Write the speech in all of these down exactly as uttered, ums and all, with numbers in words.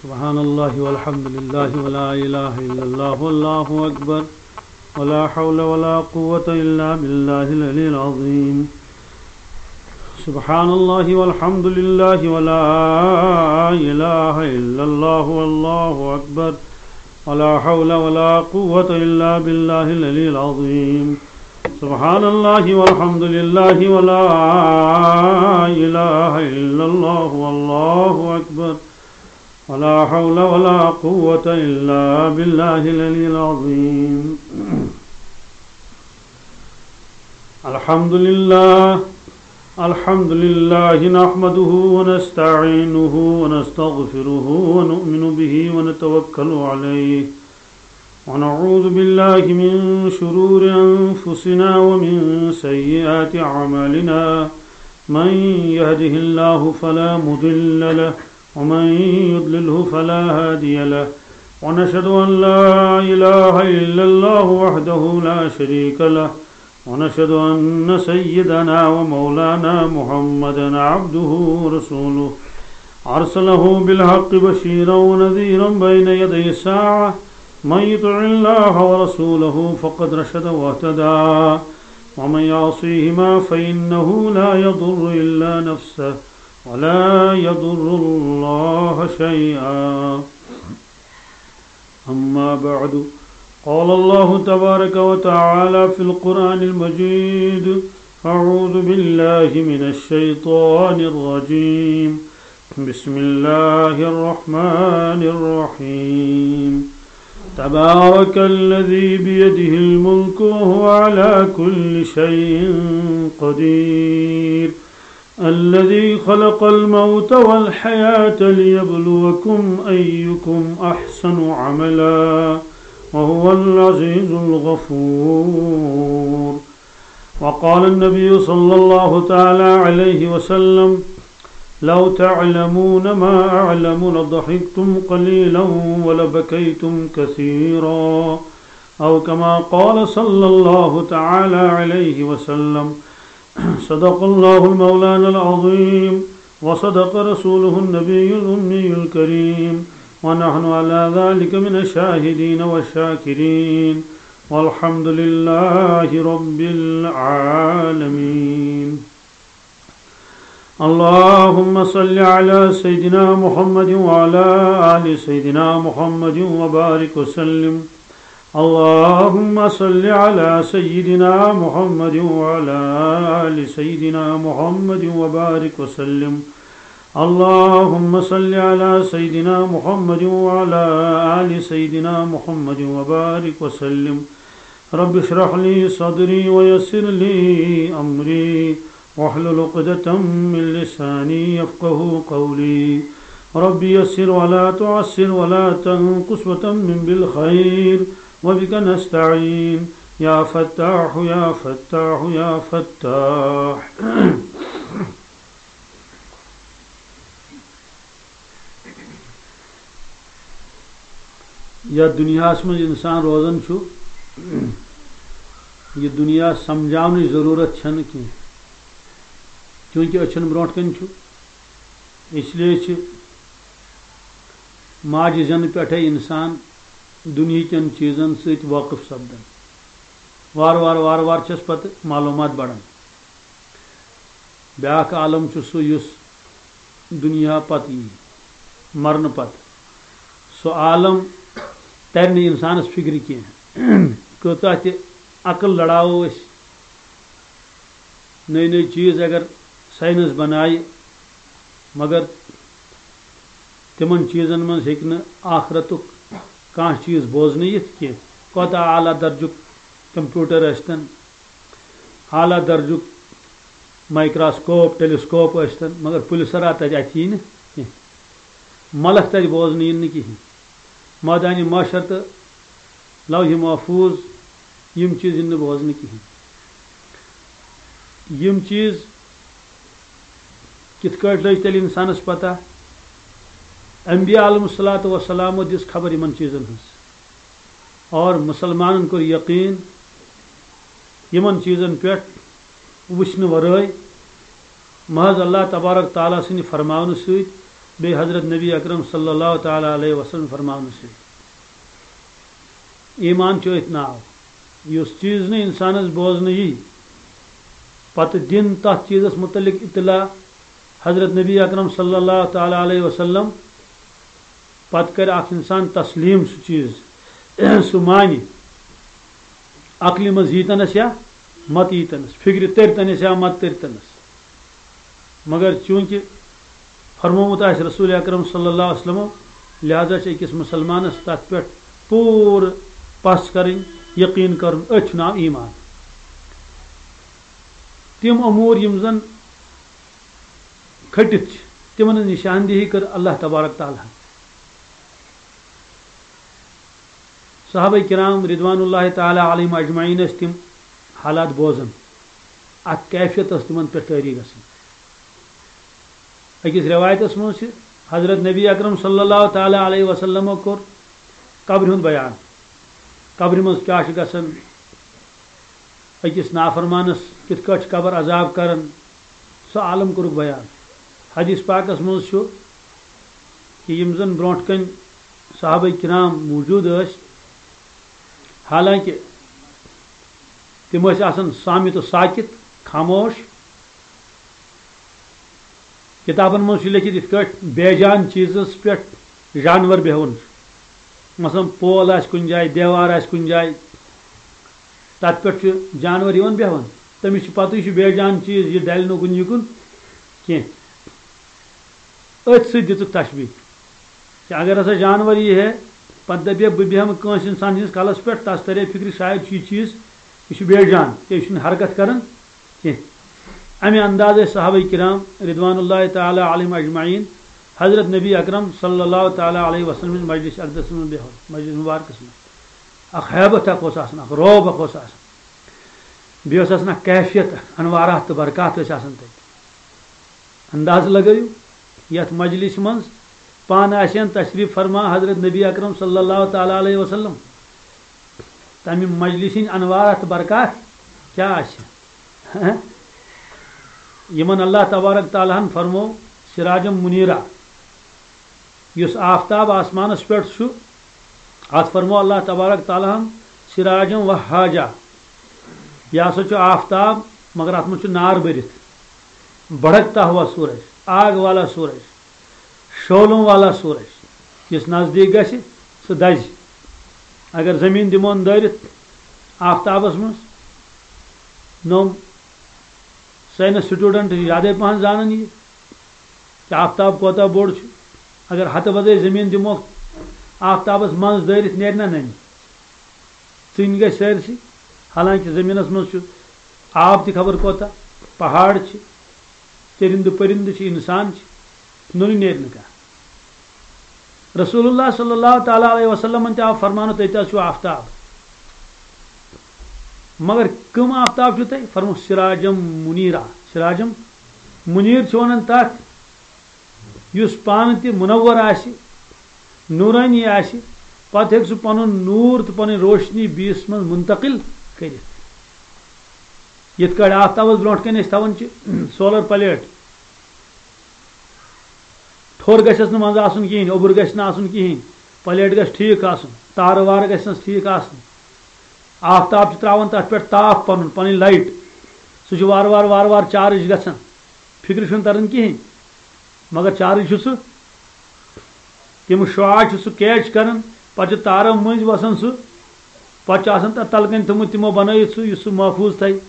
سبحان الله والحمد لله ولا إله إلا الله والله أكبر، ولا حول ولا قوة إلا بالله العلي العظيم. سبحان الله والحمد لله ولا إله إلا الله والله أكبر، ولا حول ولا قوة إلا بالله العلي العظيم. سبحان الله والحمد لله ولا إله إلا الله والله أكبر، ولا حول ولا قوة إلا بالله العلي العظيم. الحمد لله. الحمد لله نحمده ونستعينه ونستغفره ونؤمن به ونتوكل عليه، ونعوذ بالله من شرور أنفسنا ومن سيئات أعمالنا. من يهده الله فلا مضل له، ومن يضلله فلا هادي له. ونشهد أن لا إله إلا الله وحده لا شريك له، ونشهد أن سيدنا ومولانا محمدا عبده ورسوله، أرسله بالحق بشيرا ونذيرا بين يدي الساعة. من يطع الله ورسوله فقد رشد واهتدى، ومن يعصيهما فإنه لا يضر إلا نفسه ولا يضر الله شيئا. أما بعد، قال الله تبارك وتعالى في القرآن المجيد: أعوذ بالله من الشيطان الرجيم. بسم الله الرحمن الرحيم. تبارك الذي بيده الملك وهو على كل شيء قدير. الذي خلق الموت والحياة ليبلوكم أيكم أحسن عملا وهو العزيز الغفور. وقال النبي صلى الله تعالى عليه وسلم: لو تعلمون ما أعلم لضحكتم قليلا ولبكيتم كثيرا، أو كما قال صلى الله تعالى عليه وسلم. صدق الله المولانا العظيم، وصدق رسوله النبي الأمي الكريم، ونحن على ذلك من الشاهدين والشاكرين، والحمد لله رب العالمين. اللهم صل على سيدنا محمد وعلى آل سيدنا محمد وبارك وسلم. اللهم صل على سيدنا محمد وعلى آل سيدنا محمد وبارك وسلم. اللهم صل على سيدنا محمد وعلى آل سيدنا محمد وبارك وسلم. رب اشرح لي صدري ويسر لي أمري واحلل عقدة من لساني يفقه قولي. رب يسر ولا تعسر ولا تنقص وتمم بالخير وبك نستعين. يا فتاح يا فتاح يا فتاح. یتھ دُنیاہس منٛز انسان روزان چھُ، یہِ دُنیا سمجھاونٕچ ضروٗرت چھنہٕ کینٛہہ، چوٗنٛکہِ أچھن برونٛٹھ کنہِ چھُ۔ اس لیے چھِ ماجہِ زٮ۪نہٕ پٮ۪ٹھے انسان دُنیہکٮ۪ن چیٖزن سۭتۍ وٲقف سپدان۔ وارٕ وارٕ وارٕ وارٕ چھس پتہٕ معلوٗمات بڑان۔ بیٛاکھ عالم چھُ سُہ یُس دُنیا پتہٕ یی، مرنہٕ پتہٕ۔ سُہ عالم ترِ نہٕ انسانس فکرِ کینٛہہ۔ کۭژاہ تہِ عقل لڑاوو أسۍ، نٔے نٔے چیٖز اگر ساینس بنایہِ، مگر تِمن چیٖزن منٛز ہیٚکہِ نہٕ آخرتُک کانٛہہ چیٖز بوزنہٕ یِتھ کینٛہہ۔ کوتاہ اعلیٰ درجُک کمپیوٹر ٲسۍتن، اعلیٰ درجُک مایکروسکوپ، ٹیلیسکوپ ٲسۍتن، مگر پُلسر آو تتہِ اَتھِ یی نہٕ کینٛہہ۔ ملک تتہِ بوزنہٕ یِن نہٕ کِہیٖنۍ۔ مٲدانِ محشر تہٕ لوح محفوظ، یِم چیٖز یِن نہٕ بوزنہٕ کِہیٖنۍ۔ یِم چیٖز کِتھ کٲٹھۍ لٔج تیٚلہِ اِنسانَس پتہ؟ انبیاء علیہم الصلوۃ والسلامو دِژ خبر یِمن چیٖزن ہٕنٛز، اور مُسلمانن کوٚر یقیٖن یِمن چیٖزن پٮ۪ٹھ وٕچھنہٕ ورٲے، محض اللہ تبارک تعالیٰ سٕنٛدِ فرماونہٕ سۭتۍ بیٚیہِ حضرت نبی اکرم صلی اللہ تعالیٰ علیہ وسلم فرماونہٕ سۭتۍ۔ ایمان چھُ أتھۍ ناو، یُس چیٖز نہٕ اِنسانَس بوزنہٕ یی، پَتہٕ دِن تَتھ چیٖزَس مُتعلِق اطلاع حضرت نبی اکرم صلی اللہ تعالیٰ علیہ وسلم، پَتہٕ کَرِ اَکھ اِنسان تسلیٖم سُہ چیٖز، سُہ مانہِ، عقلہِ منٛز ییٖتَنَس یا مَتہٕ ییٖتَنَس، فِکرِ تٔرۍتَنَس یا مَتہٕ تٔرۍتَنَس۔ مگر چوٗنٛکہِ فرمومُت آسہِ رسول اکرم صلی اللہ علیہ وسلمو، لہذا چھِ أکِس مُسلمانَس تَتھ پٮ۪ٹھ پوٗرٕ پَژھ کَرٕنۍ، یقیٖن کَرُن، أتھۍ چھُ ناو ایمان۔ تِم امور یِم زَن کھٔٹِتھ چھِ، تِمَن ہٕنٛز نِشاندِہی کٔر اللہ تبارک تعالیٰ ہَن۔ صحابہ کرام رضوان اللہ تعالیٰ علیہم اجمعین ٲسۍ تِم حالات بوزان، اَتھ کیفیت ٲس تِمَن پٮ۪ٹھ طٲری گژھان۔ أکِس رٮ۪وایتَس منٛز چھِ حضرت نبی اکرم صلی اللہ تعالیٰ علیہ وسلمو کوٚر قبرِ ہُنٛد بیان، قبرِ منٛز کیٛاہ چھُ گژھان، أکِس نافرمانَس کِتھ کٲٹھۍ چھُ قبر عذاب کران، سُہ عالم کوٚرُکھ بیان۔ حدیث پاکَس منٛز چھُ کہِ یِم زَن برونٛٹھ کَنۍ صحابہ کرام موجود ٲسۍ، حالانکہ تِم ٲسۍ آسان صامت و ساکت، خاموش۔ کِتابَن منٛز چھُ لیٚکھِتھ یِتھ کٲٹھۍ بے جان چیٖزَس پٮ۪ٹھ جانور بیٚہوان چھُ۔ مثلاً پول آسہِ کُنہِ جایہِ، دیوار آسہِ کُنہِ جایہِ، تَتھ پٮ۪ٹھ چھُ جانور یِوان بیٚہوان۔ تٔمِس چھُ پَتہٕ یہِ چھُ بے جان چیٖز، یہِ ڈَلہِ نہٕ کُنہِ یِکُن کینٛہہ۔ أتھۍ سۭتۍ دِژٕکھ تشبیٖہ۔ کہِ اگر ہسا جانور یی ہے، پتہٕ دپہِ ہے، بہٕ بیٚہمہٕ کٲنٛسہِ انسان ہٕنٛدِس کلس پٮ۪ٹھ، تس ترِ ہے فکرِ، شاید چھُ یہِ چیٖز، یہِ چھُ بے جان، تہٕ یہِ چھُنہٕ حرکت کران کینٛہہ۔ امہِ اندازٕ ٲسۍ صحابہ کرام رضوان اللہ تعالیٰ علیہم اجمعین حضرت نبی اکرم صلی اللہ تعالیٰ علیہ وسلم ہٕنٛز مجلس اقدس منٛز بیٚہوان، مجلس مبارکس منٛز۔ اکھ ہیبت اکھ اوس آسان، اکھ رعب اکھ اوس آسان۔ بیٚیہِ ٲس آسان اکھ کیفیت اکھ، انوارات تہٕ برکات ٲسۍ آسان تتہِ۔ اندازٕ لگٲیِو، یتھ مجلس منٛز پانہٕ آسہِ ہن تشریف فرما حضرت نبی اکرم صلی اللہ تعالیٰ علیہ وسلم، تمہِ مجلس ہٕنٛدۍ انوارات تہٕ برکات کیٛاہ آسہِ؟ یِمن اللہ تبارک تعالیٰ ہن فرمو سراجم منیرا، یُس آفتاب آسمانس پٮ۪ٹھ چھُ، اتھ فرمو اللہ تبارک تعالیٰ ہن سراجم وہاجا۔ یہِ ہسا چھُ آفتاب، مگر اتھ منٛز چھُ نار بٔرِتھ۔ بھڑکتا ہوا سورج، آگ والا سورج، شعلوں والا سورج، یُس نزدیٖک گژھِ، سُہ دَزِ۔ اگر زٔمیٖن دِمون دٲرِتھ آفتابَس منٛز، نوٚم ساینس سٹوڈنٹ چھِ زیادَے پَہَن زانان یہِ، کہِ آفتاب کوتاہ بوٚڑ چھُ۔ اگر ہَتہٕ بَدٲے زٔمیٖن دِموکھ آفتابَس منٛز دٲرِتھ، نیرِ نہ نَنہِ؟ ژٕنۍ گژھِ سٲرسٕے۔ حالانکہ زٔمیٖنَس منٛز چھُ آب تہِ خبر کوتاہ، پہاڑ چھِ، چٔرِندٕ پٔرِندٕ چھِ، اِنسان چھِ، نوٚنُے نیرِ نہٕ کانٛہہ۔ رسول اللہ صلی اللہ تعالیٰ علیہ وسلمن تہِ آو فرمانہٕ، تُہۍ تہِ حظ چھُو آفتاب۔ مگر کٕم آفتاب چھِو تُہۍ؟ فرموو، سراجم منیرا۔ سراجم منیر چھِ وَنان تَتھ، یُس پانہٕ تہِ منور آسہِ، نورانی آسہِ، پتہٕ ہیٚکہِ سُہ پنُن نور تہٕ پنٕنۍ روشنی بیٚیِس منٛز منتقل کٔرِتھ۔ یِتھ کٲٹھۍ آفتابس برونٛٹھ کنہِ أسۍ تھاوان چھِ سولر پلیٹ، ٹھوٚر گژھٮ۪س نہٕ منٛزٕ آسُن کِہیٖنۍ، اوٚبُر گژھِ نہٕ آسُن کِہیٖنۍ، پلیٹ گژھِ ٹھیٖک آسُن، تارٕ وارٕ گژھٮ۪س ٹھیٖک آسُن۔ آفتاب چھُ ترٛاوان تتھ پٮ۪ٹھ تاپھ پنُن، پنٕنۍ لایٹ، سُہ چھُ وارٕ وارٕ وارٕ وارٕ چارج گژھان، فکرِ چھُنہٕ تران کِہیٖنۍ۔ مگر چارج چھُ سُہ، تِم شعاع چھُ سُہ کیچ کران، پتہٕ چھُ تارو مٔنٛزۍ وسان سُہ، پتہٕ چھُ آسان تتھ تلہٕ کنہِ تھوٚمُت تِمو بنٲیِتھ سُہ، یُس سُہ محفوظ تھایہِ۔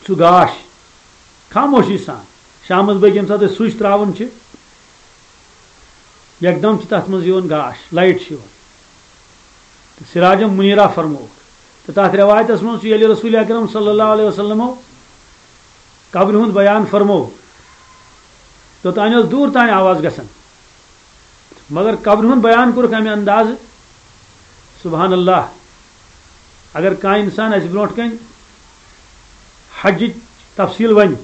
سُہ گاش خاموشی سان، شامس بٲگۍ ییٚمہِ ساتہٕ أسۍ سُچ ترٛاوان چھِ، یکدم چھِ تتھ منٛز یِوان گاش، لایٹ چھِ یِوان۔ تہٕ سراجم منیرا فرمووُکھ۔ تہٕ تتھ رٮ۪وایتس منٛز چھُ، ییٚلہِ رسول اکرم صلی اللہ علیہ وسلمو قبرِ ہُنٛد بیان فرموو، توٚتانۍ ٲس دوٗر تانۍ آواز گژھان، مگر قبرِ ہُنٛد بیان کوٚرُکھ امہِ اندازٕ، سبحان اللہ۔ اگر کانٛہہ انسان اسہِ برونٛٹھ کنہِ حجٕچ تفصیٖل ونہِ،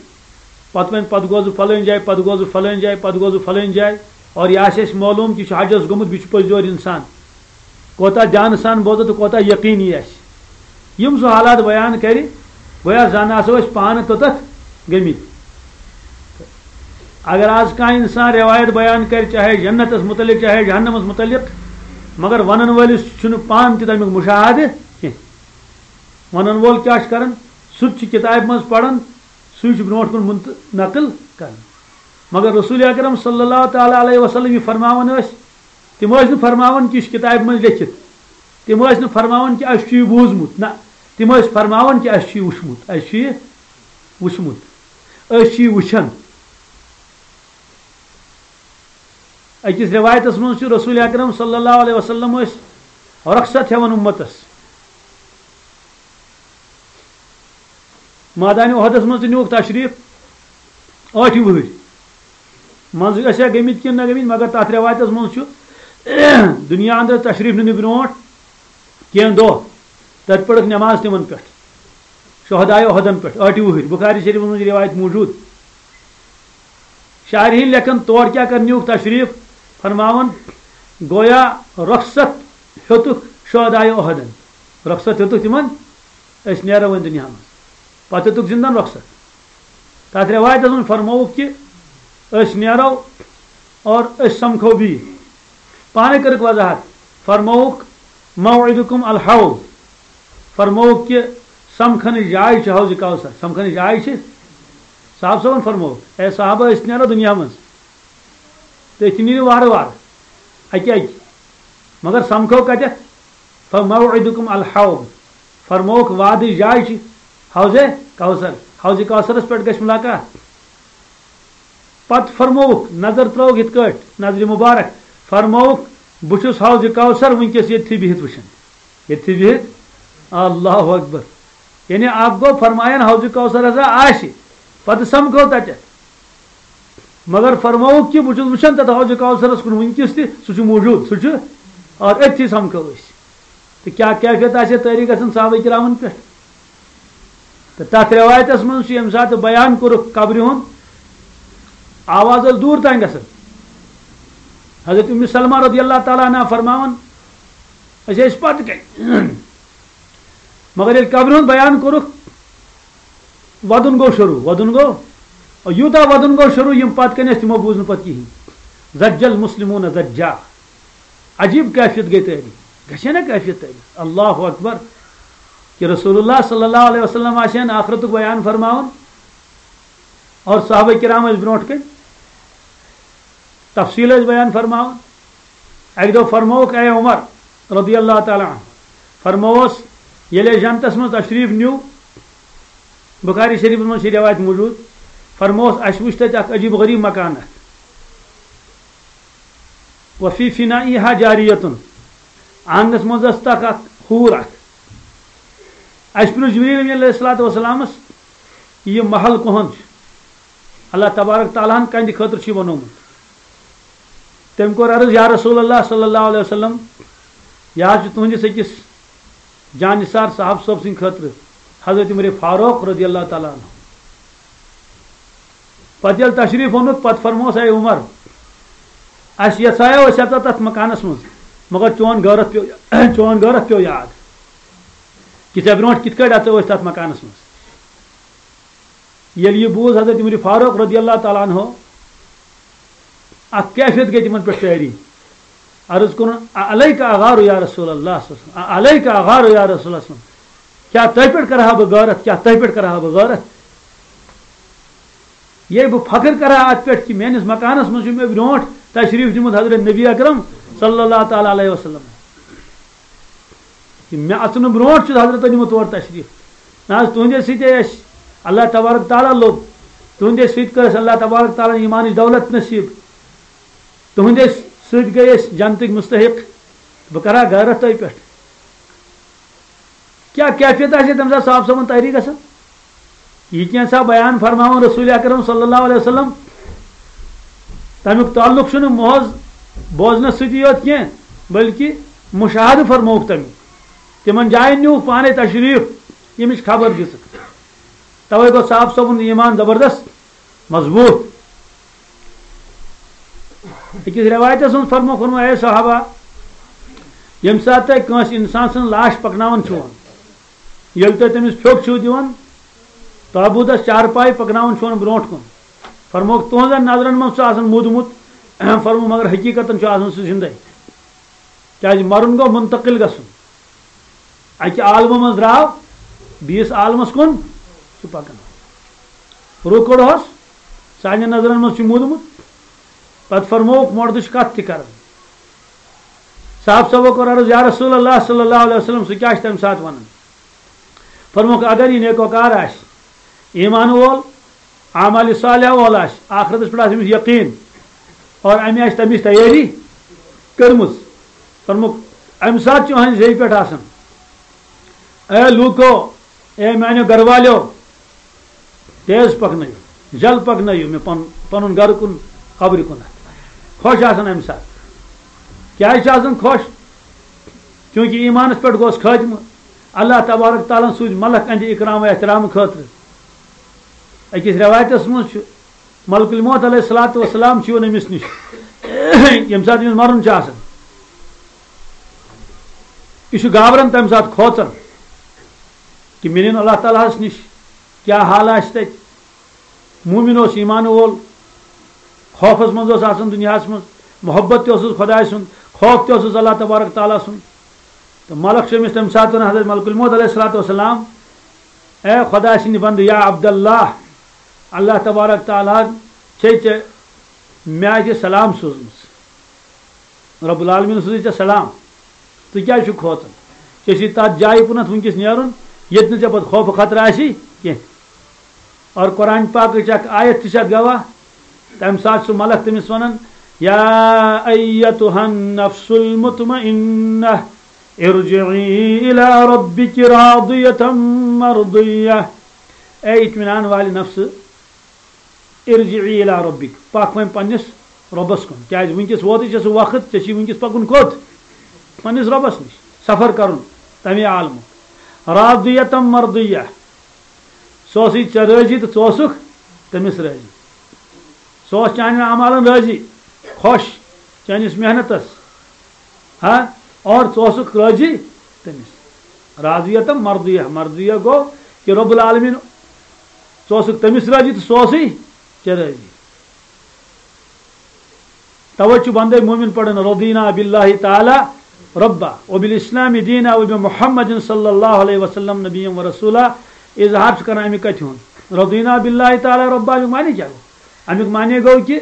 پتہٕ ونہِ، پتہٕ گوس بہٕ فلٲنۍ جایہِ، پتہٕ گوس بہٕ فلٲنۍ جایہِ، پتہٕ گوس بہٕ فلٲنۍ جایہِ، اور یہِ آسہِ اسہِ معلوم کہِ یہِ چھُ حجس گوٚمُت، بیٚیہِ چھُ پٔزۍ یور انسان، کوتاہ دیانہٕ سان بوزو تہٕ کوتاہ یقیٖن یی اسہِ۔ یِم سُہ حالات بیان کرِ، گویا زن آسو أسۍ پانہٕ توٚتتھ گٔمٕتۍ۔ اگر آز کانٛہہ انسان روایت بیان کرِ، چاہے جنتس متعلق، چاہے جہنمس متعلق، مگر ونن وٲلِس چھُنہٕ پانہٕ تہِ تمیُک مشاہدٕ کینٛہہ۔ ونن وول کیٛاہ چھُ کران؟ سُہ تہِ چھُ کتابہِ منٛز پران، سُے چھُ برونٛٹھ کُن منت-، نقل کران۔ مگر رسول اکرم صلی اللہ تعالیٰ علیہ وسلم یہِ فرماوان ٲسۍ، تِم ٲسۍ نہٕ فرماوان کہِ یہِ چھُ کتابہِ منٛز لیکھِتھ۔ تِم ٲسۍ نہٕ فرماوان کہِ اَسہِ چھُ یہِ بوٗزمُت۔ نہ، تِم ٲسۍ فرماوان کہِ اَسہِ چھُ یہِ وُچھمُت، اَسہِ چھُ یہِ وُچھمُت، أسۍ چھِ یہِ وٕچھان۔ أکِس رِوایتَس منٛز چھُ رسول اکرم صلی اللہ علیہ وسلم ٲسۍ رۄخصت ہٮ۪وان اُمتَس۔ مٲدانِ اُحدَس منٛز تہِ نیوٗکھ تشریٖف ٲٹھِ وٕہٕرۍ۔ منٛزٕ ٲسیا گٔمٕتۍ کِنہٕ نہ گٔمٕتۍ، مگر تَتھ رِوایتَس منٛز چھُ دُنیا اندر تشریٖف نِنہٕ برونٛٹھ کینٛہہ دۄہ تَتہِ پٔرٕکھ نٮ۪ماز تِمَن پٮ۪ٹھ، شہداے اُحدَن پٮ۪ٹھ، ٲٹھِ وٕہٕرۍ۔ بُخاری شریٖفَس منٛز چھِ رِوایت موٗجوٗد۔ شارحیٖن لیکھان، تور کیٛاہ کَرنہِ نیوٗکھ تشریٖف؟ فرماوان، گویا رۄخصت ہیوٚتُکھ شہداے اُحدَن، رۄخصت ہیوٚتُکھ تِمَن، أسۍ نیرو وۄنۍ دُنیا منٛز۔ پتہٕ ہیوٚتُکھ زِندَن رۄخصت۔ تَتھ رِوایتَس منٛز فرمووُکھ کہِ أسۍ نیرو اور أسۍ سَمکھو بیٚیہِ۔ پانَے کٔرٕکھ وضاحت، فرمووُکھ، "موعدکم الحوض"۔ فرمووُکھ کہِ سَمکھنٕچ جاے چھِ حوضِ کوثر، سَمکھنٕچ جاے چھِ۔ صاحب صٲبَن فرمووُکھ، "اے صحابہ، أسۍ نیرو دُنیا منٛز تہٕ أسۍ تہِ نیٖرِو وارٕ وارٕ، اَکہِ اَکہِ، مگر سَمکھو کَتٮ۪تھ؟" فموعدکم الحوض، فرمووُکھ وعدٕچ جاے چھِ حوضِ کوثر، حوضِ کوثرس پٮ۪ٹھ گژھِ ملاقات۔ پتہٕ فرمووُکھ، نظر ترٲوُکھ یِتھ کٲٹھۍ، نظرِ مبارک، فرمووُکھ، "بہٕ چھُس حوضِ کوثر وٕنکیٚس ییٚتھی بِہِتھ وٕچھان، ییٚتھی بِہِتھ۔" اللہ اکبر۔ یعنی اکھ گوٚو فرمایان حوضِ کوثر ہسا آسہِ، پتہٕ سمکھو تتٮ۪تھ۔ مگر فرمووُکھ کہِ بہٕ چھُس وٕچھان تَتھ حوضِ کوثرس کُن وٕنکیٚس تہِ، سُہ چھُ موٗجوٗد، سُہ چھُ، اور أتھی سَمکھو أسۍ۔ تہٕ کیٛاہ کیفیت آسہِ ہے طٲری گژھان صحابہ کرامن پٮ۪ٹھ؟ تہٕ تَتھ رِوایتَس منٛز چھُ ییٚمہِ ساتہٕ بیان کوٚرُکھ قبرِ ہُنٛد، آواز ٲس دوٗر تام گژھان۔ حضرت اُمِ سلمہ رضی اللہ تعالیٰ عنہا فرماوان، أسۍ ٲسۍ پَتہٕ کَنۍ۔ مگر ییٚلہِ قبرِ ہُنٛد بیان کوٚرُکھ، وَدُن گوٚو شروٗع، وَدُن گوٚو، یوٗتاہ وَدُن گوٚو شروٗع، یِم پَتہٕ کَنہِ ٲسۍ، تِمو بوٗز نہٕ پَتہٕ کِہیٖنۍ۔ زجل مسلمون زجا۔ عجیٖب کیفیت گٔے تٲری، گژھِ نا کیفیت تٲری؟ اللہ اکبر۔ کہ رسول اللہ صلی اللہ علیہ وسلم آسہِ ہن آخرتُک بیان فرماوان اور صحابہ کرام ٲسۍ برونٛٹھ کَنہِ۔ تفصیل ٲسۍ بیان فرماوان۔ اَکہِ دۄہ فرمووُکھ، اے عمر رضی اللہ تعالیٰ عنہ، فرمووس، ییٚلہِ اَسہِ جنتَس منٛز تشریٖف نیوٗ، بخاری شریٖفَس منٛز چھِ رِوایت موٗجوٗد، فرمووس، اَسہِ وٕچھ تَتہِ اَکھ عجیٖب غریٖب مکان اَکھ۔ وفی فنائها جاریتن، آنٛگنَس منٛز ٲس تَکھ اَکھ، حوٗر اَکھ۔ اَسہِ پرٛژھ جبریٖل امین علیہ الصلوۃ والسلامَس، یہِ محل کُہُنٛد چھُ؟ اللہ تبارک تعالیٰ ہن کَنہِ خٲطرٕ چھُ یہِ بنوومُت؟ تٔمۍ کوٚر عرض، یا رسول اللہ صلی اللہ علیہ وسلم، یہِ حظ چھُ تُہنٛدِس أکِس جانثار صاحب صٲب سٕنٛدِ خٲطرٕ، حضرت عمر فاروق رضی اللہ تعالیٰ عنہ۔ پتہٕ ییٚلہِ تشریٖف اوٚنُکھ، پتہٕ فرموس، اے عمر، اَسہِ یژھایو أسۍ اژو تتھ مکانس منٛز، مگر چون غٲرت پیوٚو، چون غٲرت پیوٚو یاد کہِ ژےٚ برونٛٹھ کِتھ کٲٹھۍ اژو أسۍ تتھ مکانس منٛز۔ ییٚلہِ یہِ بوٗز حضرت عمر فاروق رضی اللہ تعالیٰ عنہ، اکھ کیفیت گٔے تِمن پٮ۪ٹھ طٲری۔ عرض کوٚرُن، "اعلیک اغار یا رسول اللہ صلی اللہ علیہ وسلم، اعلیک اغار یا رسول اللہ صلی اللہ علیہ وسلم، کیٛاہ تۄہہِ پٮ۪ٹھ کرٕ ہا بہٕ غٲرت، کیٛاہ تۄہہِ پٮ۪ٹھ کرٕ ہا بہٕ غٲرت؟" یے بہٕ فخر کرٕ ہا اتھ پٮ۪ٹھ کہِ میٲنِس مکانس منٛز چھُ مےٚ برونٛٹھ تشریٖف دیُمُت حضرت نبی اکرم صلی اللہ تعالیٰ علیہ وسلم۔ کہِ مےٚ اژنہٕ برونٛٹھ چھُ حضرت نیومُت تور تشریٖف۔ نہ حظ، تُہنٛدے سۭتۍ أسۍ اللہ تبارک تعالیٰ لوٚب، تُہنٛدے سۭتۍ کٔر اَسہِ اللہ تبارک تعالیٰ ہن ایمانٕچ دولت نصیٖب، تُہنٛدے سۭتۍ گٔے أسۍ جنتٕکۍ مستحق۔ بہٕ کرٕ ہا غٲرت تۄہہِ پٮ۪ٹھ۔ کیٛاہ کیفیت آسہِ ہے تَمہِ ساتہٕ صاحب صٲبَن تحریٖک گژھان؟ یہِ کینٛژھا بیان فرماوان رسول اکرم صلی اللہ علیہ وسلم، تَمیُک تعلق چھُنہٕ محض بوزنَس سۭتی یوت کینٛہہ، بلکہِ مُشاہدٕ فرمووُکھ تَمیُک۔ تِمَن جایَن نیوٗکھ پانَے تشریٖف، ییٚمِچ خبر دِژٕکھ۔ تَوَے گوٚو صاحب صٲبُن ایمان زبردست مضبوٗط۔ أکِس رٮ۪وایتَس منٛز فرمووُکھ، فرموو، اے صحابہ، ییٚمہِ ساتہٕ تُہۍ کٲنٛسہِ اِنسان سٕنٛز لاش پَکناوان چھِوٕ، ییٚلہِ تُہۍ تٔمِس پھیوٚک چھِو دِوان، تابوٗتَس چارپاے پَکناوان چھِوٕ برونٛٹھ کُن، فرمووُکھ، تُہنٛزن نظرن منٛز چھُ آسان موٗدمُت، فرموو، مگر حقیٖقتن چھُ آسان سُہ زِندَے۔ کیازِ مرُن گوٚو منتقل گژھُن۔ اَکہِ عالمہٕ منٛز درٛاو بیٚیِس عالمس کُن چھُ پکان۔ روٗ کوٚڑہوس، سانٮ۪ن نظرن منٛز چھُ موٗدمُت۔ پتہٕ فرمووُکھ، مردٕچ کتھ تہِ کران۔ صاحب صٲبو کوٚر عرض، یا رسول اللہ صلی اللہ علیہ وسلم، سُہ کیٛاہ چھُ تَمہِ ساتہٕ وَنان؟ فرمووُکھ، اگر یہِ نیکوکار آسہِ، ایمان وول، اعمال صالحہ وول آسہِ، آخرتس پٮ۪ٹھ آسہِ أمِس یقیٖن، اور أمۍ آسہِ تَمِچ تیٲری کٔرمٕژ، فرمووُکھ، اَمہِ ساتہٕ چھُ أہنٛدِ زیٚوِ پٮ۪ٹھ آسان، اے لوٗکو، اے میانیو گرٕ والیو، تیز پکنٲیِو، جل پکنٲیِو مےٚ پن-، پنُن گرٕ کُن، قبرِ کُنتھ۔ خۄش آسان اَمہِ ساتہٕ۔ کیازِ چھِ آسان خۄش؟ چوٗنٛکہِ ایٖمانَس پٮ۪ٹھ گوس خٲتمہٕ۔ اللہ تبارک تعالیٰ ہَن سوٗزۍ ملک اَہنٛدِ اِکرام و احترام خٲطرٕ۔ أکِس رٮ۪وایتَس منٛز چھُ، ملک الموت علیہ الصلوۃ والسلام چھُ یِوان أمِس نِش، ییٚمہِ ساتہٕ أمِس مَرُن چھُ آسان۔ یہِ چھُ گابران تَمہِ ساتہٕ، کھوژان کہِ مےٚ نِن اللہ تعالیٰ ہَس نِش، کیٛاہ حال آسہِ تَتہِ۔ مومن اوس، ایمان وول، خوفس منٛز اوس آسان دُنیاہس منٛز، محبت تہِ اوسُس خۄداے سُنٛد، خوف تہِ اوسُس اللہ تبارک تعالیٰ سُنٛد۔ تہٕ ملک چھُ أمِس تَمہِ ساتہٕ وَنان، حضرت ملک الموت علیہ الصلوۃ والسلام، اے خۄداے سٕنٛدِ بندٕ، یا عبداللہ، اللہ تبارک تعالیٰ ہَن چھے ژےٚ مےٚ آسہِ سلام سوٗزمٕژ۔ رب العالمین سوٗزٕے ژےٚ سلام۔ ژٕ کیٛازِ چھُکھ کھوژان؟ ژےٚ چھُے تَتھ جایہِ کُنَتھ وٕنکیٚس نیرُن، ییٚتہِ نہٕ ژےٚ پَتہٕ خوفہٕ خطرٕ آسی کینٛہہ۔ اور قرآن پاکٕچ اکھ آیت تہِ چھِ اَتھ گواہ۔ تَمہِ ساتہٕ چھُ ملک تٔمِس وَنان، یا ایتُہا النفس المطمئنہ، ارجعی الی ربک راضیۃ مرضیہ۔ اے اطمینان والہِ نفسہٕ، ارجعی الی ربک، پکھ وۄنۍ پننِس رۄبس کُن۔ کیازِ وٕنکیٚس ووتُے ژےٚ سُہ وقت، ژےٚ چھُے وٕنکیٚس پکُن کوٚت؟ پننِس رۄبس نِش، سفر کرُن تمے عالمُک۔ راضیۃ مرضیہ، سُہ اوسُے ژےٚ رٲضی تہٕ ژٕ اوسُکھ تٔمِس رٲضی۔ سُہ اوس چانٮ۪ن اعمالن رٲضی، خۄش چٲنِس محنتس۔ ہا، اور ژٕ اوسُکھ رٲضی تٔمِس۔ راضیت مرضیہ، مرضیہ گوٚو کہِ رب العالمین، ژٕ اوسُکھ تٔمِس رٲضی تہٕ سُہ اوسُے ژےٚ رٲضی۔ توے چھُ بندے مومن پران، رضینا باللہ تعالی ربا وبالاسلام دینا وبمحمد صلی اللہ علیہ وسلم نبیا و رسولا۔ اظہار چھُ کران اَمہِ کتھِ ہُنٛد، رضینا باللہ تعالی ربا، اَمیُک معنی کیٛاہ گوٚو؟ اَمیُک معنی گوٚو کہِ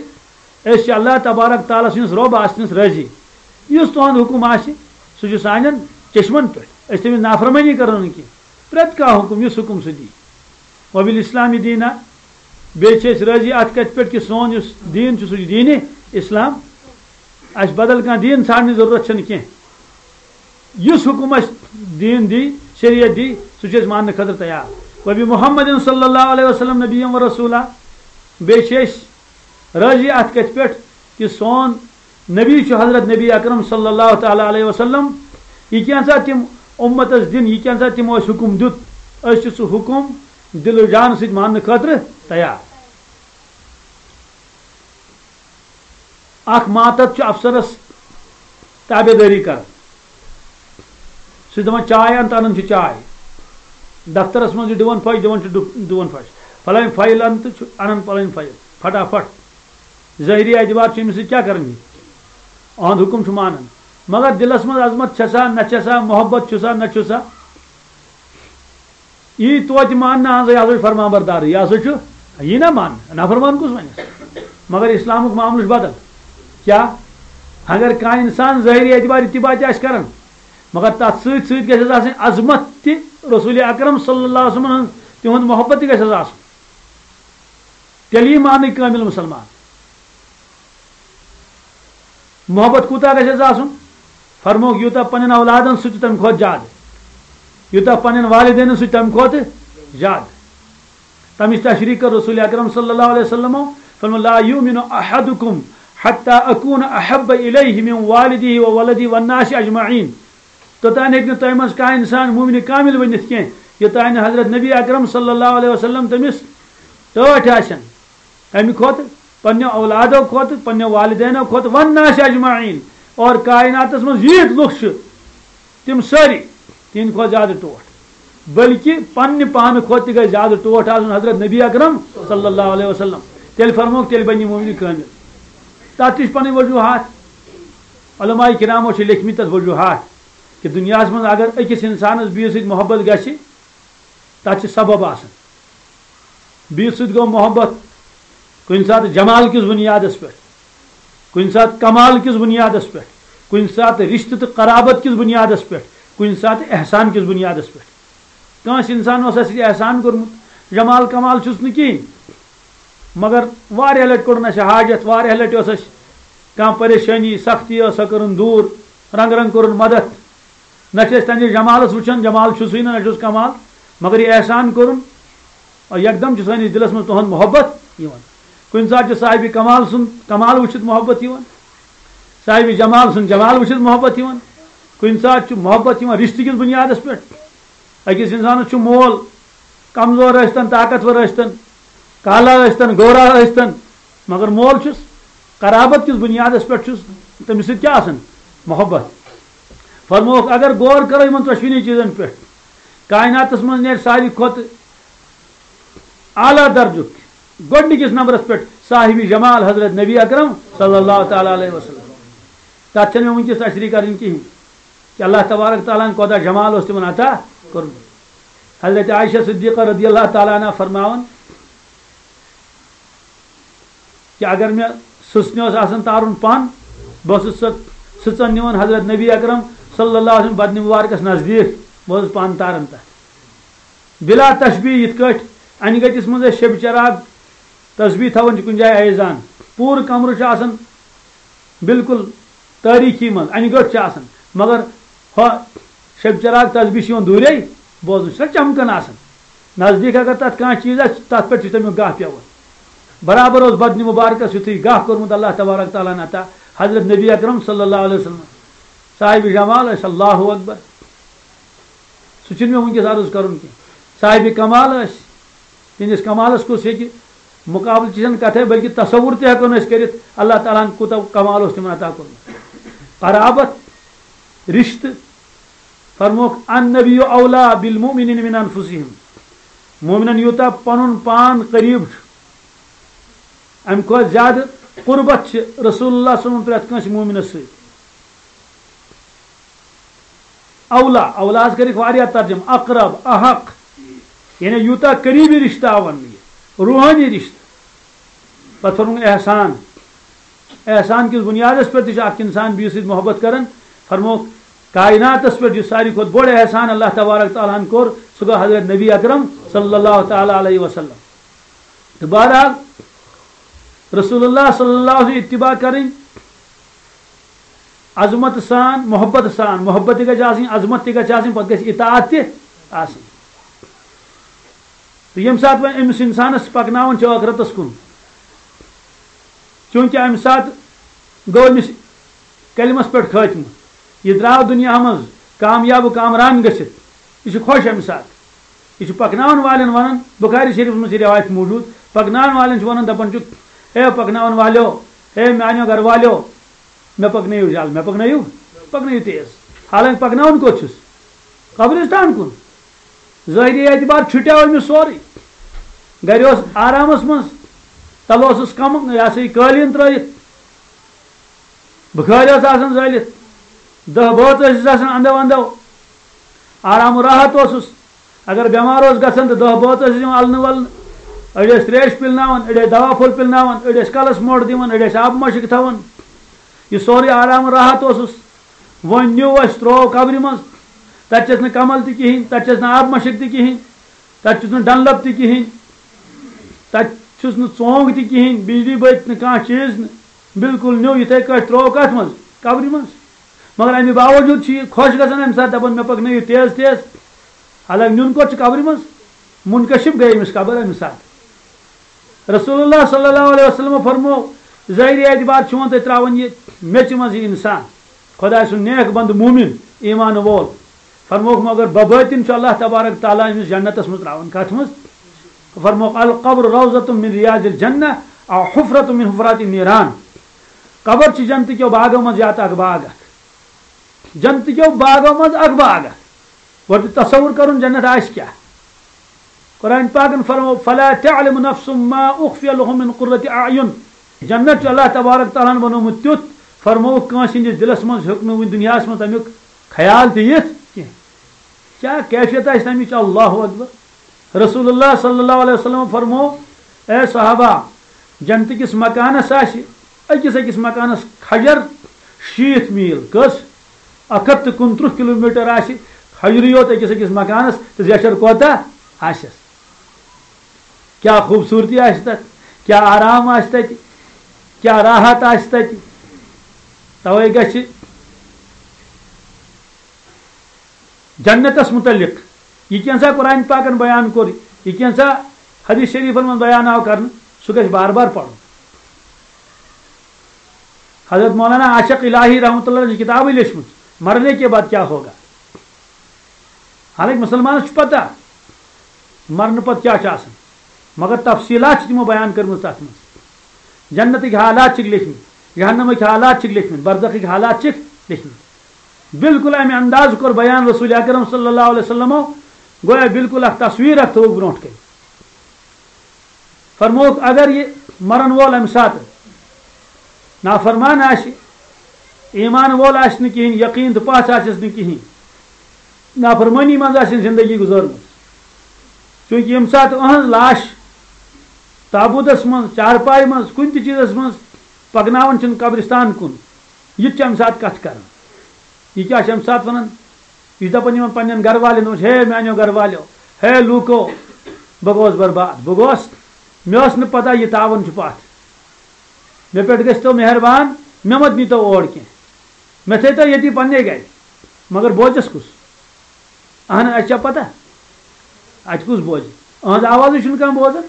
أسۍ چھِ اللہ تبارک تعالیٰ سٕنٛدِس رۄب آسنَس رٲضی، یُس تُہُنٛد حُکُم آسہِ، سُہ چھُ سانٮ۪ن چشمن پٮ۪ٹھ، أسۍ تٔمِس نافرمٲنی کرو نہٕ کینٛہہ۔ پرٛٮ۪تھ کانٛہہ حُکُم، یُس حُکُم سُہ دی۔ وبالاسلام دینا، بیٚیہِ چھِ أسۍ رٲضی اَتھ کَتھِ پٮ۪ٹھ کہِ سون یُس دیٖن چھُ، سُہ چھُ دیٖنِ اسلام۔ اَسہِ بدل کانٛہہ دیٖن ژھانٛڈنٕچ ضروٗرت چھَنہٕ کینٛہہ۔ یُس حُکُم اَسہِ دیٖن دی، شریعت دی، سُہ چھُ أسۍ ماننہٕ خٲطرٕ تیار۔ وبمحمد صلی اللہ علیہ وسلم نبیا و رسولا، بیٚیہِ چھِ أسۍ رٲضی اَتھ کَتھِ پٮ۪ٹھ کہِ سون نبی چھُ حضرت نبی اکرم صلی اللہ تعالیٰ علیہ وسلم۔ یہِ کینٛژھا تِم اُمتس دِن، یہِ کینٛژھا تِمو اَسہِ حُکُم دیُت، أسۍ چھِ سُہ حُکُم دِل و جان سۭتۍ ماننہٕ خٲطرٕ تیار۔ اکھ ماتحت چھُ افسرس تابعدٲری کران۔ سُہ چھُ دَپان، "چاے اَن"، تہٕ اَنان چھُ چاے۔ دفترس منٛز چھُ دِوان پھش، دِوان چھُ ڈُ-، دِوان پھش۔ فلٲنۍ فایل اَن تہٕ چھُ اَنان پلٲنۍ فایل۔ فٹافٹ۔ ظٲہری اعتبار چھُ أمِس سۭتۍ کیٛاہ کران یہِ؟ أہُنٛد حُکُم چھُ مانان۔ مگر دِلس منٛز عظمت چھےٚ سا، نہ چھےٚ سا، محبت چھُ سا، نہ چھُ سا۔ یی توتہِ ماننہٕ، اہن سا، یہِ ہسا چھُ فرمان بردار، یہِ ہسا چھُ، یی نہ ماننہٕ، نافرمان کُس وَنٮ۪س؟ مگر اسلامُک معاملہٕ چھُ بدل۔ کیٛاہ؟ اگر کانٛہہ انسان ظٲہری اعتبار اتباع تہِ آسہِ کران، مگر تتھ سۭتۍ سۭتۍ گژھٮ۪س آسٕنۍ عظمت تہِ رسول اکرم صلی اللہ علیہ وسلمن ہٕنٛز، تِہُنٛد محبت تہِ گژھٮ۪س آسُن۔ تیٚلہِ یی ماننہٕ کٲمِل مُسلمان۔ محبت کوٗتاہ گژھٮ۪س آسُن؟ فرمووُکھ، یوٗتاہ پننٮ۪ن اولادن سۭتۍ چھُ تمہِ کھۄتہٕ زیادٕ، یوٗتاہ پننٮ۪ن والدینن سۭتۍ چھُ تمہِ کھۄتہٕ زیادٕ۔ تمِچ تشریح کٔر رسول اکرم صلی اللہ علیہ وسلمو، فرموو، "لا یؤمن احدکم حتی اکون احب الیہ من والدہ و ولدہ والناس اجمعین۔" توٚتام ہیٚکہِ نہٕ تۄہہِ منٛز کانٛہہ اِنسان مومنہِ کامِل ؤنِتھ کینٛہہ، یوٚتام نہٕ حضرت نبی اکرم صلی اللہ علیہ وسلم تٔمِس ٹٲٹھۍ آسن۔ اَمہِ کھۄتہٕ، پننٮ۪و اولادو کھۄتہٕ، پننٮ۪و والدینو کھۄتہٕ، والناس اجمعین، اور کائناتس منٛز ییٖتۍ لُکھ چھِ، تِم سٲری، تِہنٛدِ کھۄتہٕ زیادٕ ٹوٹھ۔ بلکہِ پننہِ پانہٕ کھۄتہٕ تہِ گژھِ زیادٕ ٹوٹھ آسُن حضرت نبی اکرم صلی اللہ علیہ وسلم۔ تیٚلہِ فرموکھ، تیٚلہِ بَنہِ یہِ مومنہِ کٲمِل۔ تَتھ تہِ چھِ پَنٕنۍ وجوٗہات۔ علماء کرامو چھِ لیکھمٕتۍ تَتھ وجوٗہات کہِ دُنیاہَس منٛز اگر أکِس اِنسانَس بیٚیِس سۭتۍ محبت گژھِ، تَتھ چھِ سبب آسان۔ بیٚیِس سۭتۍ گوٚو محبت کُنہِ ساتہٕ جمال کِس بُنیادَس پٮ۪ٹھ، کُنہِ ساتہٕ کمال کِس بُنیادَس پٮ۪ٹھ، کُنہِ ساتہٕ رِشتہٕ تہٕ قرابت کِس بُنیادَس پٮ۪ٹھ، کُنہِ ساتہٕ احسان کِس بُنیادَس پٮ۪ٹھ۔ کٲنٛسہِ اِنسان اوس اَسہِ احسان کوٚرمُت، جمال کمال چھُس نہٕ کِہیٖنۍ، مگر واریاہ لَٹہِ کوٚڑُن اَسہِ حاجت، واریاہ لَٹہِ ٲس اَسہِ کانٛہہ پریشٲنی، سختی ٲس، سۄ کٔرٕن دوٗر، رنٛگہٕ رنٛگہٕ کوٚرُن مدد۔ نہ چھِ أسۍ تَمہِ جمالَس وٕچھان، جمال چھُسٕے نہٕ، نہ چھُس کمال، مگر یہِ احسان کوٚرُن، اور یکدم چھُ سٲنِس دِلَس منٛز تُہُنٛد محبت یِوان۔ کُنہِ ساتہٕ چھُ صاحبِ کمال سُنٛد کمال وٕچھِتھ محبت یِوان، صاحبِ جمال سُنٛد جمال وٕچھِتھ محبت یِوان، کُنہِ ساتہٕ چھُ محبت یِوان رِشتہٕ کِس بُنیادَس پٮ۪ٹھ۔ أکِس اِنسانَس چھُ مول کمزور ٲسۍتَن، طاقتور ٲسۍتَن، کالا ٲسۍتَن، گورا ٲسۍتَن، مگر مول چھُس قرابت کِس بُنیادَس پٮ۪ٹھ چھُس تٔمِس سۭتۍ کیٛاہ آسان؟ محبت۔ فرمووُکھ، اگر غور کرو یِمَن ژۄشوٕنی چیٖزَن پٮ۪ٹھ، کائناتَس منٛز نیرِ ساروی کھۄتہٕ اعلیٰ درجُک گۄڈٕنِکِس نمبرَس پٮ۪ٹھ صاحبِ جمال حضرت نبی اکرم صلی اللہ تعالیٰ علیہ وسلم۔ تَتھ چھَنہٕ مےٚ وٕنکیٚس تشریح کَرٕنۍ کِہیٖنۍ کہِ اللہ تبارک تعالیٰ ہَن کوتاہ جمال اوس تِمَن عطا کوٚرمُت۔ حضرت عائشہ صدیقہ رضی اللہ تعالیٰ عنہا فرماوان کہِ اگر مےٚ سٕژنہِ اوس آسان تارُن پَن، بہٕ اوسُس سۄ سٕژَن نِوان حضرت نبی اکرم صلی اللہ علیہ وسلم بدنِ مبارکَس نزدیٖک، بہٕ اوسُس پَن تاران تَتھ۔ بلا تشبیہ، یِتھ کٲٹھۍ اَنہِ گٔٹِس منٛز أسۍ شیٚبہِ چراغ تسبیح تھاوان چھِ کُنہِ جایہِ ایزان، پوٗرٕ کمرٕ چھُ آسان بالکل تٲریٖکی منٛز، اَنہِ گٔٹ چھِ آسان، مگر ہۄ شیٚبہِ چراغ تسبیح چھِ یِوان دوٗرے بوزنہٕ، چھِ سۄ چمکان آسان۔ نزدیٖک اگر تَتھ کانٛہہ چیٖز آسہِ، تَتھ پٮ۪ٹھ چھُ تَمیُک گاہ پٮ۪وان۔ برابر اوس بدنِ مبارکَس یُتھُے گاہ کوٚرمُت اللہ تبارک تعالیٰ ہَن عطا حضرت نبی اکرم صلی اللہ علیہ وسلم۔ صاحبِ جمال ٲسۍ، اللہ اکبر۔ سُہ چھُنہٕ مےٚ وٕنکیٚس عرض کَرُن کینٛہہ۔ صاحبِ کمال ٲسۍ، تِہنٛدِس کمالَس کُس ہیٚکہِ مُقابلہٕ، چھِ چھَنہٕ کَتھَے، بلکہِ تصوُر تہِ ہٮ۪کو نہٕ أسۍ کٔرِتھ، اللہ تعالیٰ ہَن کوٗتاہ کمال اوس تِمَن عطا کوٚرمُت۔ قرابت، رِشتہٕ، فرموکھ، "النبی اولیٰ بالمؤمنین من انفسہم"، مومنن یوٗتاہ پَنُن پان قریٖب چھُ، اَمہِ کھۄتہٕ زیادٕ قربت چھِ رسول اللہ صلی اللہ علیہ وسلم پرٛٮ۪تھ کٲنٛسہِ مومنَس سۭتۍ۔ اولیٰ، اولیٰ ہَس کٔرِکھ واریاہ ترجمہٕ، اقرب، احق، یعنی یوٗتاہ قریٖبی رِشتہٕ آو وَننہٕ یہِ، روحٲنی رِشتہٕ۔ پَتہٕ فرمووُن احسان، احسان کِس بُنیادَس پٮ۪ٹھ تہِ چھُ اَکھ اِنسان بیٚیِس سۭتۍ محبت کَران۔ فرمووُکھ، کائناتَس پٮ۪ٹھ یُس ساروی کھۄتہٕ بوٚڑ احسان اللہ تبارک تعالیٰ ہَن کوٚر، سُہ گوٚو حضرت نبی اکرم صلی اللہ تعالیٰ علیہ وسلم۔ تہٕ بہرحال، رسول اللہ صلی اللہ علیہ وسلم اتباع کَرٕنۍ، عظمت سان، محبت سان، محبت تہِ گژھِ آسٕنۍ، عظمت تہِ گژھِ آسٕنۍ، پتہٕ گژھِ اطاعت تہِ آسٕنۍ۔ تہٕ ییٚمہِ ساتہٕ وۄنۍ أمِس اِنسانَس پَکناوان چھِ ٲخرتَس کُن، چوٗنٛکہِ اَمہِ ساتہٕ گوٚو أمِس کلمَس پٮ۪ٹھ خٲتمہٕ، یہِ درٛاو دُنیا منٛز کامیاب و کامران گٔژھِتھ، یہِ چھُ خۄش اَمہِ ساتہٕ۔ یہِ چھُ پَکناوَن والٮ۪ن وَنان، بُخاری شریٖفَس منٛز چھِ رِوایت موٗجوٗد، پَکناوَن والٮ۪ن چھُ وَنان، دَپان چھُ، "ہے پَکناوَن والیو، ہے میٛانیو گَرٕ والیو، مےٚ پَکنٲیِو جل، مےٚ پَکنٲیِو، پَکنٲیِو تیز۔" حالانکہِ پَکناوان کوٚت چھُس؟ قبرِستان کُن۔ ظٲہری اعتبار چھُٹیو أمِس سورُے۔ گَرِ اوس آرامَس منٛز، تَلہٕ اوسُس کَم، یہِ ہسا یہِ قٲلیٖن ترٛٲیِتھ۔ بُخٲرۍ ٲس آسان زٲلِتھ، دَہ بٲژ ٲسِس آسان اَندَو اَندَو۔ آرام و راحت اوسُس۔ اگر بٮ۪مار اوس گژھان تہٕ دَہ بٲژ ٲسِس یِوان اَلنہٕ وَلنہٕ۔ أڑۍ ٲسۍ ترٛیش پِلناوان، أڑۍ ٲسۍ دوا پھوٚل پِلناوان، أڑۍ ٲسۍ کَلَس موٚٹ دِوان، أڑۍ ٲسۍ آبہٕ مَشٕک تھاوان۔ یہِ سورُے آرام و راحت اوسُس۔ وۄنۍ نیوٗ اَسہِ، ترٛوو قبرِ منٛز۔ تَتہِ چھَس نہٕ کَمَل تہِ کِہیٖنۍ، تَتہِ چھَس نہٕ آبہٕ مَشٕک تہِ کِہیٖنۍ، تَتہِ چھُس نہٕ ڈَنلَپ تہِ کِہیٖنۍ، تَتہِ چھُس نہٕ ژونٛگ تہِ کِہیٖنۍ، بجلی بٔتۍ نہٕ، کانٛہہ چیٖز نہٕ، بالکل نیوٗ یِتھَے کٲٹھۍ ترٛوو کَتھ منٛز؟ قبرِ منٛز۔ مگر اَمہِ باوجوٗد چھُ یہِ خۄش گژھان اَمہِ ساتہٕ، دَپان، "مےٚ پَکنٲیِو تیز تیز۔" حالانکہِ نیُن کوٚت چھُ؟ قبرِ منٛز۔ منکشف گٔے أمِس قبر اَمہِ ساتہٕ۔ رسول اللہ صلی اللہ علیہ وسلم فرمو، ظٲہری اعتبار چھُ وۄنۍ تۄہہِ ترٛاوان یہِ میٚژِ منٛز یہِ اِنسان، خۄداے سُنٛد نیک بنٛدٕ مومِن، ایمان وول۔ فرمووُکھ، مگر ببٲطِن چھُ اللہ تبارک تعالیٰ أمِس جنتَس منٛز ترٛاوان۔ کَتھ منٛز؟ فرمووُکھ، "القبر روضۃ من ریاض الجنہ او حفرۃ من حفرات النیران۔" قبر چھِ جنتہٕ کیو باغو منٛز یا تہٕ اکھ باغ اکھ۔ جنتہٕ کیو باغو منٛز اکھ باغ اکھ۔ گۄڈٕ چھُ تصور کرُن جنت آسہِ کیٛاہ۔ قرآن پاکن فرمو، "فلا تعلم نفس ما اخفی لهم من قرۃ اعین۔" جنت چھُ اللہ تبارک تعالیٰ ہن بنومُت تیُتھ، فرمووُکھ، کٲنٛسہِ ہٕنٛدِس دِلس منٛز ہیوٚک نہٕ وُنہِ دُنیاہس منٛز تمیُک خیال تہِ یِتھ کینٛہہ۔ کیٛاہ کیفیت آسہِ تمِچ؟ اللہ اکبر۔ رسول اللہ صلی اللہ علیہ وسلم فرمو، اے صحابہ، جنتہٕ کِس مکانس آسہِ أکِس أکِس مکانس کھجر شیٖتھ میٖل۔ کٔژ؟ اکھ ہتھ تہٕ کُنترٕہ کلوٗمیٹر آسہِ کھجرٕے یوت أکِس أکِس مکانس، تہٕ زیچھر کوتاہ آسٮ۪س؟ کیٛاہ خوٗبصوٗرتی آسہِ تتھ، کیٛاہ آرام آسہِ تتہِ، کیٛاہ راحت آسہِ تتہِ۔ توے گژھِ جنتس متعلق یہِ کینٛژھا قرآن پاکن بیان کوٚر، یہِ کینٛژھا حدیث شریفن منٛز بیان آو کرنہٕ، سُہ گژھِ بار بار پرُن۔ حضرت مولانا عاشق الہی رحمۃ اللہ علیہ چھِ کتابٕے لیچھمٕژ، "مرنے کے بعد کیا ہوگا؟" حالانکہ مسلمانس چھُ پتہ مرنہٕ پتہٕ کیٛاہ چھُ آسان، مگر تفصیٖلات چھِ تِمو بیان کٔرمٕژ تتھ منٛز۔ جنتٕکۍ حالات چھِکھ لیکھمٕتۍ، جہنمٕکۍ حالات چھِکھ لیکھمٕتۍ، برزخٕکۍ حالات چھِکھ لیکھمٕتۍ۔ بالکل امہِ انداز کوٚر بیان رسول اکرم صلی اللہ علیہ وسلمو، گویا بالکل اکھ تصویر اکھ تھٲوٕکھ برونٛٹھ کنہِ۔ فرمووُکھ، اگر یہِ مرن وول امہِ ساتہٕ نافرمان آسہِ، ایمان وول آسہِ نہٕ کِہیٖنۍ، یقین تہٕ پژھ آسٮ۪س نہٕ کِہیٖنۍ، نافرمٲنی منٛز آسہِ زندگی گُزٲرمٕژ، چوٗنٛکہِ ییٚمہِ ساتہٕ أہٕنٛز لاش تابوٗتس منٛز، چارپایہِ منٛز، کُنہِ تہِ چیٖزس منٛز پکناوان چھِنہٕ قبرستان کُن، یہِ تہِ چھِ امہِ ساتہٕ کتھ کران۔ یہِ کیٛاہ چھِ امہِ ساتہٕ ونان؟ یہِ چھُ دپان یِمن پننٮ۪ن گرٕ والٮ۪ن، "ہے میانیو گرٕ والیو، ہے لوٗکو، بہٕ گوس برباد، بہٕ گوس، مےٚ ٲس نہٕ پتہ یہِ تاوان چھُ پتھ۔ مےٚ پٮ۪ٹھ گٔژھۍ تو مہربان، مےٚ مت نیٖتو اور کینٛہہ، مےٚ تھٲیتو ییٚتی پننہِ گرِ۔" مگر بوزٮ۪س کُس؟ اہن، اَسہِ چھا پتہ؟ اَتہِ کُس بوزِ؟ أہنٛز آوازٕے چھُنہٕ کانٛہہ بوزان۔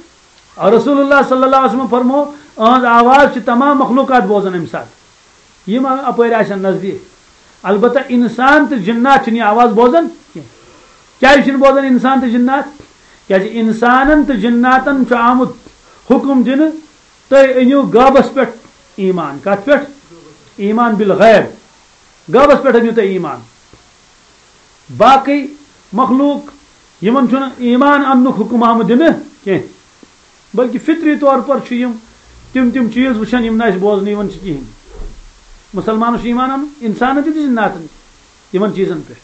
اور رسول اللہ صلی اللہ علیہ وسلم فرمو، أہنٛز آواز چھِ تمام مخلوقات بوزان اَمہِ ساتہٕ، یِم اَپٲرۍ آسن نزدیٖک۔ البتہ اِنسان تہٕ جِنات چھِنہٕ یہِ آواز بوزان کینٛہہ۔ کیٛازِ چھِنہٕ بوزان اِنسان تہٕ جِنات؟ کیٛازِ اِنسانن تہٕ جِناتن چھُ آمُت حُکم دِنہٕ، تُہۍ أنِو غٲبس پٮ۪ٹھ ایمان۔ کتھ پٮ۪ٹھ؟ ایمان بالغیب۔ غٲبس پٮ۪ٹھ أنِو تُہۍ ایمان۔ باقٕے مخلوق، یِمن چھُنہٕ ایمان اننُک حُکم آمُت دِنہٕ کینٛہہ، بلکہِ فطری طور پر چھِ یِم تِم تِم چیٖز وٕچھان، یِم نہٕ اَسہِ بوزنہٕ یِوان چھِ کِہیٖنۍ۔ مُسلمانس چھُ ایمان انُن، اِنسانن تہِ تہٕ جِناتن تہِ، یِمن چیٖزن پٮ۪ٹھ۔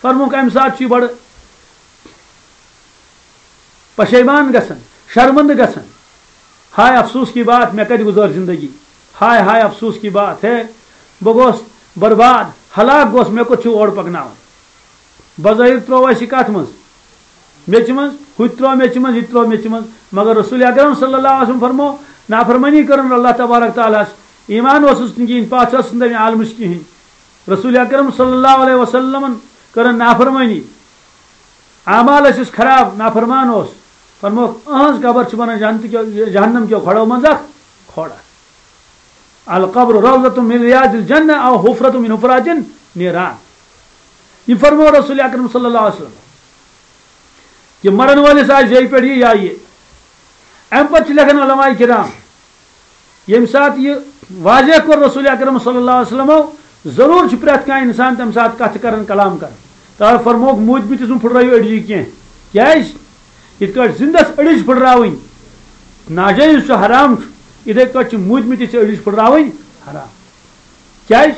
فرموکھ، اَمہِ ساتہٕ چھُ یہِ بڑٕ پشیمان گژھان، شرمندٕ گژھان۔ ہائے افسوس کی بات، مےٚ کتہِ گُزٲر زندگی؟ ہائے ہائے افسوس کی بات ہے، بہٕ گوس برباد، ہلاک گوس، مےٚ کوٚت چھُ اورٕ پکناوان؟ بظٲہر ترٛوو اَسہِ یہِ کتھ منٛز، میٚژِ منٛز، ہُہ تہِ ترٛوو میٚژِ منٛز، یہِ تہِ ترٛوو میٚژِ منٛز، مگر رسول اکرم صلی اللہ علیہ وسلم فرمو، نافرمٲنی کٔرٕن اللہ تبارک تعالیٰ ہس، ایمان اوسُس نہٕ کِہیٖنۍ، پژھ ٲسٕس نہٕ تمہِ عالمٕچ کِہیٖنۍ۔ رسول اکرم صلی اللہ علیہ وسلمن کٔرٕن نافرمٲنی، اعمال ٲسِس خراب، نافرمان اوس۔ فرموکھ، أہنٛز قبر چھِ بنان جنت کیو، جہنم کیو کھۄڑو منٛز اکھ کھۄڑ۔ القبر روضۃ من ریاض الجنہ او حفرۃ من حفرات النیران۔ یہِ فرمو رسول اکرم صلی اللہ علیہ وسلم کہ مرن وٲلِس آسہِ جیٚیہِ پٮ۪ٹھ یہِ یا یہِ۔ امہِ پتہٕ چھِ لیکھان علماء کرام، ییٚمہِ ساتہٕ یہِ واضح کوٚر رسول اکرم صلی اللہ علیہ وسلمو، ضروٗر چھُ پرٛٮ۪تھ کانٛہہ اِنسان تَمہِ ساتہٕ کَتھٕ کَران، کلام کَران۔ تَوَے فرمووُکھ، موٗدمٕتِس مہٕ پھٕٹرٲیِو أڈجہِ کینٛہہ۔ کیٛازِ؟ یِتھ کٲٹھۍ زِندَس أڈِج پھٕٹراوٕنۍ ناجٲیِز چھُ، حرام چھُ، یِتھَے کٲٹھۍ چھِ موٗدمٕتِس أڈِج پھٕٹراوٕنۍ حرام۔ کیٛازِ؟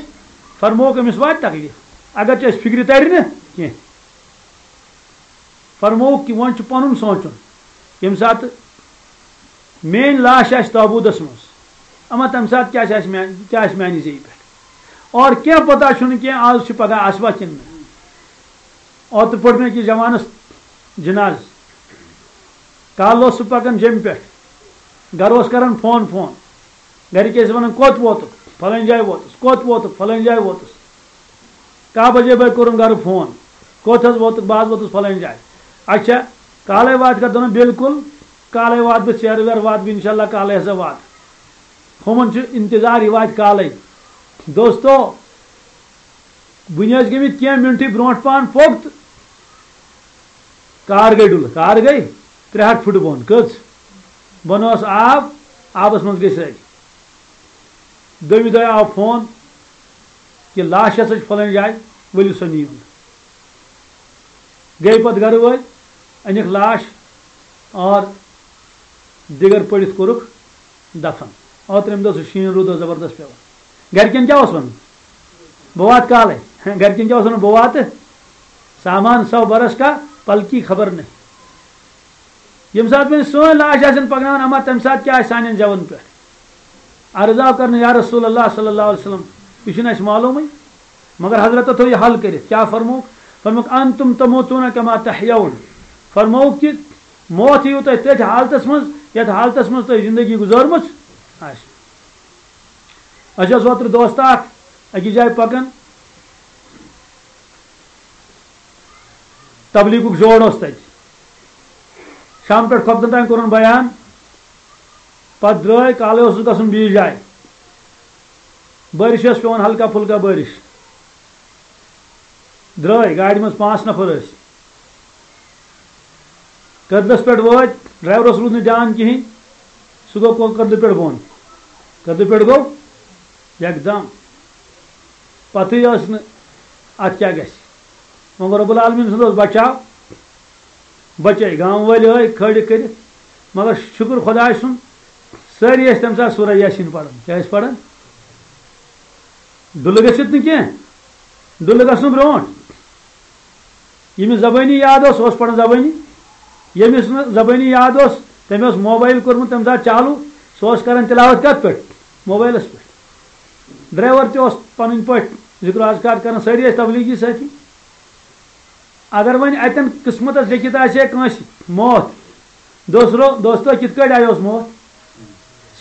فرمووُکھ، أمِس واتہِ تکلیٖف، اگرچہِ اَسہِ فِکرِ تَرِ نہٕ کینٛہہ۔ فرمووُکھ کہِ وۄنۍ چھُ پَنُن سونٛچُن، ییٚمہِ ساتہٕ میٛٲنۍ لاش آسہِ تابوٗتَس منٛز، اما تَمہِ ساتہٕ کیٛاہ چھِ اَسہِ میٛانہِ، کیٛاہ آسہِ میٛانہِ زیٚیہِ پٮ۪ٹھ؟ اور کینٛہہ پَتہ چھُنہٕ کینٛہہ، آز چھِ پَگاہ آسوا کِنہٕ نہٕ؟ اوترٕ پوٚر مےٚ أکِس جوانَس جِنازٕ، کالہٕ اوس سُہ پَکان جیٚمہِ پٮ۪ٹھ، گَرٕ اوس کَران فون فون، گَرِکۍ ٲسۍ وَنان، "کوٚت ووتُکھ؟" "فَلٲنۍ جایہِ ووتُس۔" "کوٚت ووتُکھ؟" "فَلٲنۍ جایہِ ووتُس۔" کاہ بجے بٲگۍ کوٚرُن گرٕ فون، "کوٚت حظ ووتُکھ؟" "بہٕ حظ ووتُس فلٲنۍ جایہِ۔" "اچھا، کالے واتکھا؟" دوٚپُن، "بالکل، کالے واتہٕ بہٕ، ژیرٕ ویرٕ واتہٕ بہٕ، انشاءاللہ کالے ہسا واتہٕ۔" ہُمن چھُ انتظار، یہِ واتہِ کالے۔ دوستو، وُنہِ ٲسۍ گٔمٕتۍ کینٛہہ منٹٕے برونٛٹھ پہن پوٚک تہٕ کار گٔے ڈُلہٕ، کار گٔے ترٛےٚ ہتھ فُٹہٕ بۄن۔ کٔژ؟ بۄنہٕ اوس آب، آبس منٛز گٔے سٲری۔ دوٚیمہِ دۄہہِ آو فون کہِ لاش ہسا چھِ فلٲنۍ جایہِ، ؤلِو سا نِیِو۔ گٔے پتہٕ گرٕ وٲلۍ، أنِکھ لاش، اور دیگر پٔڑِتھ کوٚرُکھ دفن۔ اور ترٛیٚیِم دۄہ سُہ شیٖن روٗد اوس زبردست پٮ۪وان۔ گرِکٮ۪ن کیٛاہ اوس وَنُن؟ بہٕ واتہٕ کالَے۔ گرِکٮ۪ن کیٛاہ اوس وَنُن؟ بہٕ واتہٕ، سامان سو برس کا، پلکی خبر نہیں۔ ییٚمہِ ساتہٕ وۄنۍ سٲنۍ لاش آسن پکناوان، اما تَمہِ ساتہٕ کیٛاہ آسہِ سانٮ۪ن زٮ۪ون پٮ۪ٹھ؟ عرض آو کرنہٕ، یا رسول اللہ صلی اللہ علیہ وسلم، یہِ چھُنہٕ اَسہِ معلومٕے۔ مگر حضرت تھوٚو یہِ حل کٔرِتھ۔ کیٛاہ فرمووُکھ؟ فرمووُکھ، "انتم تموتون کما تحیون۔" فرمووُکھ کہِ موت یِیِو تۄہہِ تٔتھۍ حالتس منٛز، یتھ حالتس منٛز تۄہہِ زندگی گُزٲرمٕژ آسہِ۔ اَسہِ اوس اوترٕ دوستہ اکھ أکِس جایہِ پکان، تبلیغُک زور اوس تتہِ۔ شام پٮ۪ٹھ خۄفتن تام کوٚرُن بیان، پتہٕ درٛاے، کالے اوسُس گژھُن بیٚیِس جایہِ۔ بٲرِش ٲس پٮ۪وان، ہلکا پھُلکا بٲرِش۔ درٛاے، گاڑِ منٛز پانٛژھ نفر ٲسۍ۔ کٔدلس پٮ۪ٹھ وٲتۍ، ڈرایورس روٗد نہٕ دیان کِہینۍ، سُہ گوٚو کو-، کٔدلہٕ پٮ۪ٹھ بۄن۔ کٔدلہٕ پٮ۪ٹھ گوٚو یکدم۔ پتہٕے ٲس نہٕ اتھ کیٛاہ گژھِ۔ وۄنۍ گوٚو رب العالمین سُنٛد اوس بچاو، بچے، گامہٕ وٲلۍ ٲے کھٲلِکھ کٔرِتھ۔ مگر شُکر خۄداے سُنٛد، سٲری ٲسۍ تَمہِ ساتہٕ سورہ یاسین پران۔ کیٛاہ ٲسۍ پران؟ ڈُلہٕ گٔژھِتھ نہٕ کینٛہہ، ڈُلہٕ گژھنہٕ برونٛٹھ۔ ییٚمِس زبٲنی یاد اوس، سُہ اوس پران زبٲنی۔ ییٚمِس نہٕ زبٲنی یاد اوس، تٔمۍ اوس موبایل کوٚرمُت تَمہِ ساتہٕ چالوٗ، سُہ اوس کران تلاوت کَتھ پٮ۪ٹھ؟ موبایلَس پٮ۪ٹھ۔ ڈرایور تہِ اوس پَنٕنۍ پٲٹھۍ ذِکر و اذکار کران، سٲری ٲسۍ تبلیغی سٲتھی۔ اگر وۄنۍ اتٮ۪ن قسمتس لیکھِتھ آسہِ ہے کٲنٛسہِ موت، دوسرو، دوستو، کِتھ کٲٹھۍ آیوس موت؟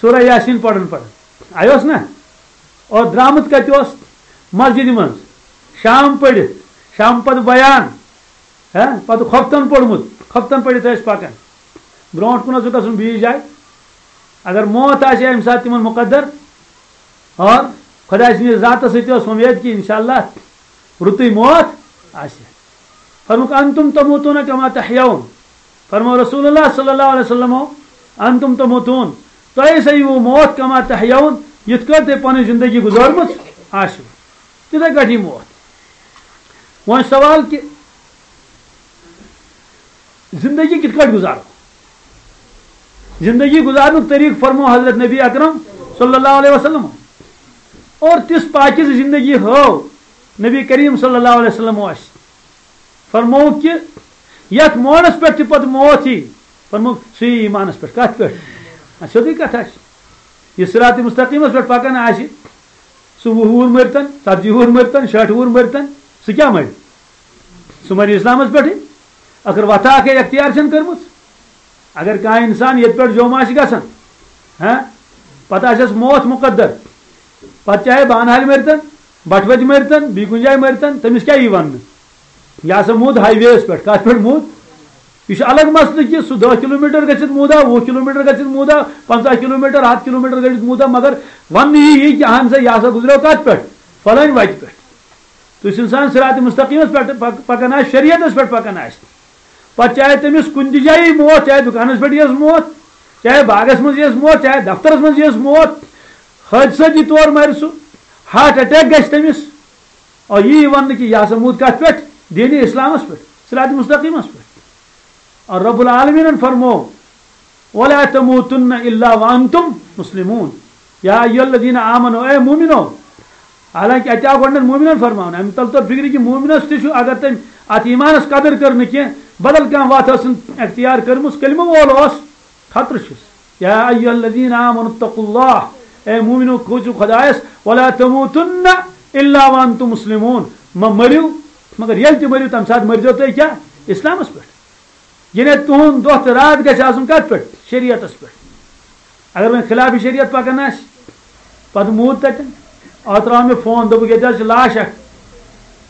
سورہ یاسین پران پران آیوس نا؟ اور درامُت کتہِ اوس؟ مسجدِ منٛز۔ شام پٔرِتھ، شام پتہٕ بیان، ہہ، پتہٕ خۄفتن پوٚرمُت، خۄفتن پٔرِتھ ٲسۍ پکان۔ برونٛٹھ کُن اوس گژھُن بیٚیِس جایہِ۔ اگر موت آسہِ ہے امہِ ساتہٕ تِمن مقدر، اور خۄداے سٕنٛدِ ذاتس سۭتۍ ٲس وۄمید کہِ انشاءاللہ رُتُے موت آسہِ۔ فرمووُکھ، "انتم تموتون کما تحیون۔" فرموو رسول اللہ صلی اللہ علیہ وسلمو، "انتم تموتون، تۄہہِ ہسا یِیِو موت کما تحیون، یِتھ کٲٹھۍ تۄہہِ پنٕنۍ زندگی گُزٲرمٕژ آسِوٕ، تِتھے کٲٹھۍ یی موت۔" وۄنۍ سوال کہِ زندگی کِتھ کٲٹھۍ گُزارو؟ زندگی گُزارنُک طریٖقہٕ فرموو حضرت نبی اکرم صلی اللہ علیہ وسلم۔ اور تِژھ پاکیزٕ زندگی ہٲو نبی کریم صلی اللہ علیہ وسلم اَسہِ۔ فرموو کہِ یَتھ موڑس پٮ۪ٹھ تہِ پتہٕ موت یی، فرموو سُہ یی ایٖمانس پٮ۪ٹھ۔ کَتھ پٮ۪ٹھ؟ اَتھ سیوٚدُے کَتھا چھِ۔ یہِ صراط مستقیٖمس پٮ۪ٹھ پکان آسہِ، سُہ وُہ وُہُر مٔرتن، ژتجی وُہُر مٔرتن، شیٹھ وُہُر مٔرتن، سُہ کیٛاہ مَرِ؟ سُہ مَرِ اِسلامس پٮ۪ٹھٕے۔ ٲخٕر وَتھا اکھ ہے اختیار چھَنہٕ کٔرمٕژ۔ اگر کانٛہہ اِنسان ییٚتہِ پٮ۪ٹھ جوٚم آسہِ گژھان، ہاں، پتہٕ آسٮ۪س موت مُقدر، پتہٕ چاہے بانہالہِ مٔرتن، بٹھوَتہِ مٔرتن، بیٚیہِ کُنہِ جایہِ مٔرتن، تٔمِس کیٛاہ یی وننہٕ؟ یہِ ہسا موٗد ہاے وے یَس پٮ۪ٹھ۔ کتھ پٮ۪ٹھ موٗد؟ یہِ چھُ الگ مسلہٕ کہِ سُہ دَہ کلوٗمیٹر گٔژھِتھ موٗدا، وُہ کلوٗمیٹر گٔژھِتھ موٗدا، پنٛژاہ کلوٗمیٹر، ہتھ کلوٗمیٹر گٔژھِتھ موٗدا، مگر وننہٕ یی یی کہِ اہن سا، یہِ ہسا گُزریو کتھ پٮ۪ٹھ؟ فلٲنۍ وتہِ پٮ۪ٹھ۔ تُہۍ چھِو اِنسان صراط مستقیٖمس پٮ۪ٹھ پک-، پکان آسہِ، شریعتس پٮ۪ٹھ پکان آسہِ۔ پتہٕ چاہے تٔمِس کُنہِ تہِ جایہِ یی موت، چاہے دُکانس پٮ۪ٹھ یِیَس موت، چاہے باغس منٛز یِیَس موت، چاہے دفترس منٛز یِیَس موت، حٲدثہٕ دی تور مرِ سُہ، ہارٹ اٹیک گژھِ تٔمِس۔ اور یی وننہٕ کہِ یہِ ہسا موٗد کتھ پٮ۪ٹھ؟ دینِ اسلامس پٮ۪ٹھ، صراط مستقیٖمس پٮ۪ٹھ۔ اور رب العالمینن فرموو، "ولا تموتن الا وانتم مسلمون، یا ایھا الذین آمنو"، اے مومنو۔ حالانکہ اتہِ آو گۄڈٕنٮ۪تھ مومنن فرماونہٕ، امہِ تل توٚر فکرِ کہِ مومنس تہِ چھُ، اگر تٔمۍ اتھ ایمانس قدر کٔر نہٕ کینٛہہ، بدل کانٛہہ وتھ ٲسٕن اختیار کٔرمٕژ، کلمہٕ وول اوس، خطرٕ چھُس۔ یا ایھا الذین آمنوا اتقوا اللہ، اے مومنو، کھوژِو خدایس، ولا تموتن الا وانتم مسلمون، مہ مٔرِو مگر ییٚلہِ تہِ مٔرِو تمہِ ساتہٕ مٔرۍزیو تُہۍ کیٛاہ؟ اسلامس پٮ۪ٹھ۔ یعنی تُہُنٛد دۄہ تہٕ راتھ گژھِ آسُن کتھ پٮ۪ٹھ؟ شریعتس پٮ۪ٹھ۔ اگر وۄنۍ خلاف شریعت پکان آسہِ، پتہٕ موٗد تتٮ۪ن، اتھ ترٛاو مےٚ فون، دوٚپُکھ، "ییٚتہِ حظ چھِ لاش اکھ،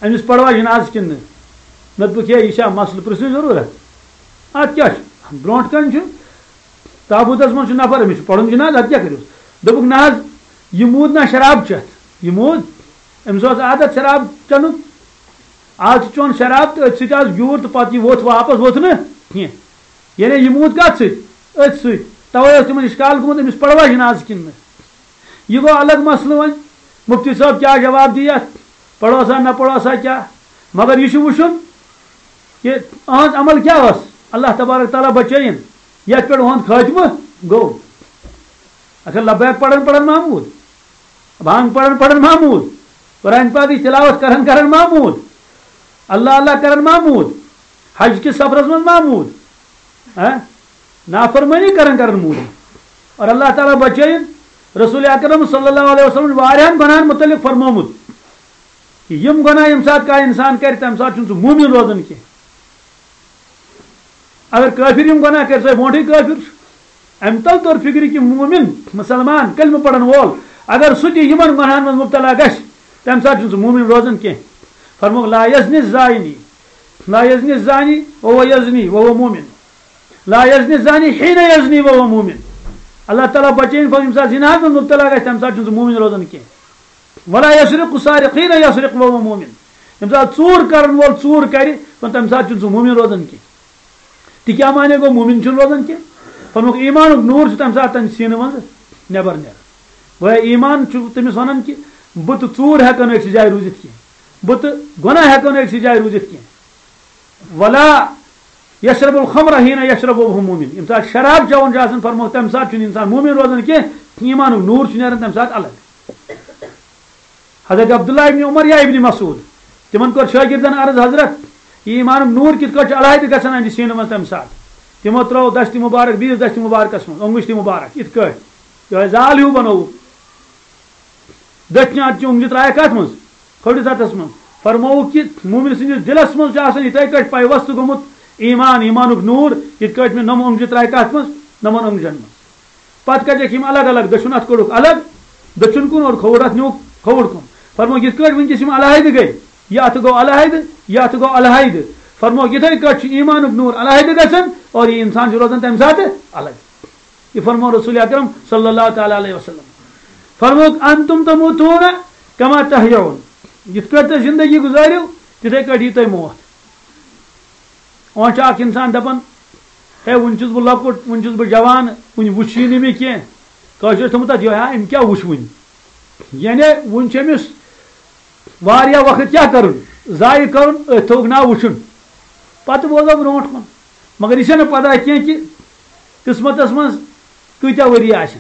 أمِس پروا جنازٕ کِنہٕ نہٕ؟" مےٚ دوٚپُکھ، "ہے، یہِ چھا مسلہٕ پرژھنٕچ ضروٗرت؟ اتھ کیٛاہ چھُ؟ برونٛٹھ کنہِ چھُ تابوٗتس منٛز چھُ نفر، أمِس چھُ پرُن جنازٕ، اتھ کیٛاہ کٔرِو؟" دوٚپُکھ، "نہ حظ، یہِ موٗد نہ شراب چٮ۪تھ، یہِ موٗد، أمِس اوس عادت شراب چٮ۪نُک، از چھُ چون شراب تہٕ أتھۍ سۭتۍ آز گیوٗر تہٕ پتہٕ یہِ ووٚتھ واپس ووٚتھ نہٕ کینٛہہ۔ یعنی یہِ موٗد کتھ سۭتۍ؟ أتھۍ سۭتۍ۔ توے اوس تِمن اشکال گوٚمُت، أمِس پروا جنازٕ کِنہٕ نہٕ؟" یہِ گوٚو الگ مسلہٕ وۄنۍ۔ مفتی صٲب کیٛاہ جواب دی یتھ؟ پروا سا نہ پروا سا کیٛاہ؟ مگر یہِ چھُ وٕچھُن کہِ أہنٛز عمل کیٛاہ ٲس؟ اللہ تبارک تعالیٰ بچٲیِن۔ یتھ پٮ۪ٹھ اُہُنٛد خٲتمہٕ گوٚو۔ اچھا، لبیک پران پران محمود، بانگ پران پران محمود، قرآن پاکٕچ تلاوت کران کران محمود، اللہ اللہ کران محمود، حج کِس سفرس منٛز محمود، ہاں؟ نافرمٲنی کران کران محمود۔ اور اللہ تعالیٰ بچٲیِن۔ رسول اکرم صلی اللہ علیہ وسلم چھُ واریاہن گۄناہن متعلق فرمومُت کہ یِم گۄناہ ییٚمہِ ساتہٕ کانٛہہ انسان کرِ، تمہِ ساتہٕ چھُنہٕ سُہ مومن روزان کینٛہہ۔ اگر کٲفِر یِم گۄناہ کرِ، سُہ ہے برونٛٹھٕے کٲفِر چھُ۔ امہِ تل توٚر فِکرِ کہِ مومِن، مُسلمان، کلمہٕ پرن وول، اگر سُہ تہِ یِمن گۄناہن منٛز مُبتلا گژھِ، تمہِ ساتہٕ چھُنہٕ سُہ مومِن روزان کینٛہہ۔ فرمووُکھ، "لا یزنی الزانی، لا یزنی الزانی وهو یزنی وهو مومن، لا یزنی الزانی حین یزنی وهو مومن۔" اللہ تعالیٰ بچٲیِن، فرمووُکھ، ییٚمہِ ساتہٕ زِناہس منٛز مُبتلا گژھِ، تمہِ ساتہٕ چھُنہٕ سُہ مومِن روزان کینٛہہ۔ "ولا یسرق السارق حین یسرق وهو مومن۔" ییٚمہِ ساتہٕ ژوٗر کرن وول ژوٗر کرِ، تمہِ ساتہٕ چھُنہٕ سُہ مومِن روزان کینٛہہ۔ تہِ کیٛاہ معنی گوٚو؟ مومِن چھُنہٕ روزان کینٛہہ۔ فرمووُکھ، ایٖمانُک نوٗر چھُ تَمہِ ساتہٕ تَمہِ سیٖنہٕ منٛزٕ نٮ۪بر نیران۔ گویا ایٖمان چھُ تٔمِس وَنان کہِ بہٕ تہٕ ژوٗر ہٮ۪کو نہٕ أکسٕے جایہِ روٗزِتھ کینٛہہ، بہٕ تہٕ گۄناہ ہٮ۪کو نہٕ أکسٕے جایہِ روٗزِتھ کینٛہہ۔ ولا یشرب الخمر حین یشرب وهو مومن۔ ییٚمہِ ساتہٕ شراب چٮ۪وان چھُ آسان، فرمووُکھ، تَمہِ ساتہٕ چھُنہٕ اِنسان مومِن روزان کینٛہہ، ایٖمانُک نوٗر چھُ نیران تَمہِ ساتہٕ الگ۔ حضرت عبداللہ ابن عمر یا ابن مسعود، تِمن کوٚر شٲگِردن عرض، "حضرت، یہِ ایٖمانُک نوٗر کِتھ کٲٹھۍ چھُ علیحدٕ گژھان اَمہِ سیٖنہٕ منٛز تَمہِ ساتہٕ؟" تِمو ترٲو دستِ مُبارک بیٚیِس دستِ مُبارکس منٛز، اوٚنٛگُج تہِ مُبارک، یِتھ کٲٹھۍ یِہوٚے زال ہیوٗ بنووُکھ۔ دٔچھنہِ اَتھٕ چہِ اوٚنٛگجہِ ترٛایَکھ اَتھ منٛز، کھٲلِتھ اَتھس منٛز۔ فرمووُکھ کہِ مومِن سٕنٛدِس دِلس منٛز چھُ آسان یِتھَے کٲٹھۍ پَے وۄستہٕ گوٚمُت ایٖمان، ایٖمانُک نوٗر، یِتھ کٲٹھۍ مےٚ نۄمہٕ اوٚنٛگجہِ ترٛایَکھ اَتھ منٛز، نۄمَن اوٚنٛگجن منٛز۔ پتہٕ کَجَکھ یِم الگ الگ، دٔچھُن اَتھٕ کوٚڑُکھ الگ، دٔچھُن کُن، اور کھووُر اَتھٕ نیوٗکھ کھووُر کُن۔ فرمووُکھ، یِتھ کٲٹھۍ وٕنکیٚس یِم علیحدٕ گٔے، یہِ اَتھٕ گوٚو علیحدٕ، یہِ اَتھٕ گوٚو علیحدٕ۔ فرمووُکھ، یِتھَے کٲٹھۍ چھُ ایٖمانُک نوٗر علیحدٕ گژھان اور یہِ اِنسان چھُ روزان تَمہِ ساتہٕ الگ۔ یہِ فرموو رسول اکرم صلی اللہ تعالیٰ علیہ وسلم۔ فرمووُکھ، "انتم تموتون کما تحیون۔" یِتھ کٲٹھۍ تُہۍ زندگی گُزٲرِو، تِتھَے کٲٹھۍ یی تۄہہِ موت۔ وۄنۍ چھُ اکھ انسان دپان، "ہے، وُنہِ چھُس بہٕ لۄکُٹ، وُنہِ چھُس بہٕ جوان، وُنہِ وُچھ یی نہٕ مےٚ کینٛہہ۔" کٲشرِس تھوٚمُت تتھ یِہوٚے، "ہا، أمۍ کیٛاہ وُچھ وُنہِ؟" یعنی وُنہِ چھُ أمِس واریاہ وقت کیٛاہ کرُن؟ ضایع کرُن، أتھۍ تھوٚوُکھ ناو وُچھُن۔ پتہٕ بوزو برونٛٹھ کُن۔ مگر یہِ چھَنہٕ پتہ کینٛہہ کہِ قسمتس منٛز کۭتیٛاہ ؤری آسن۔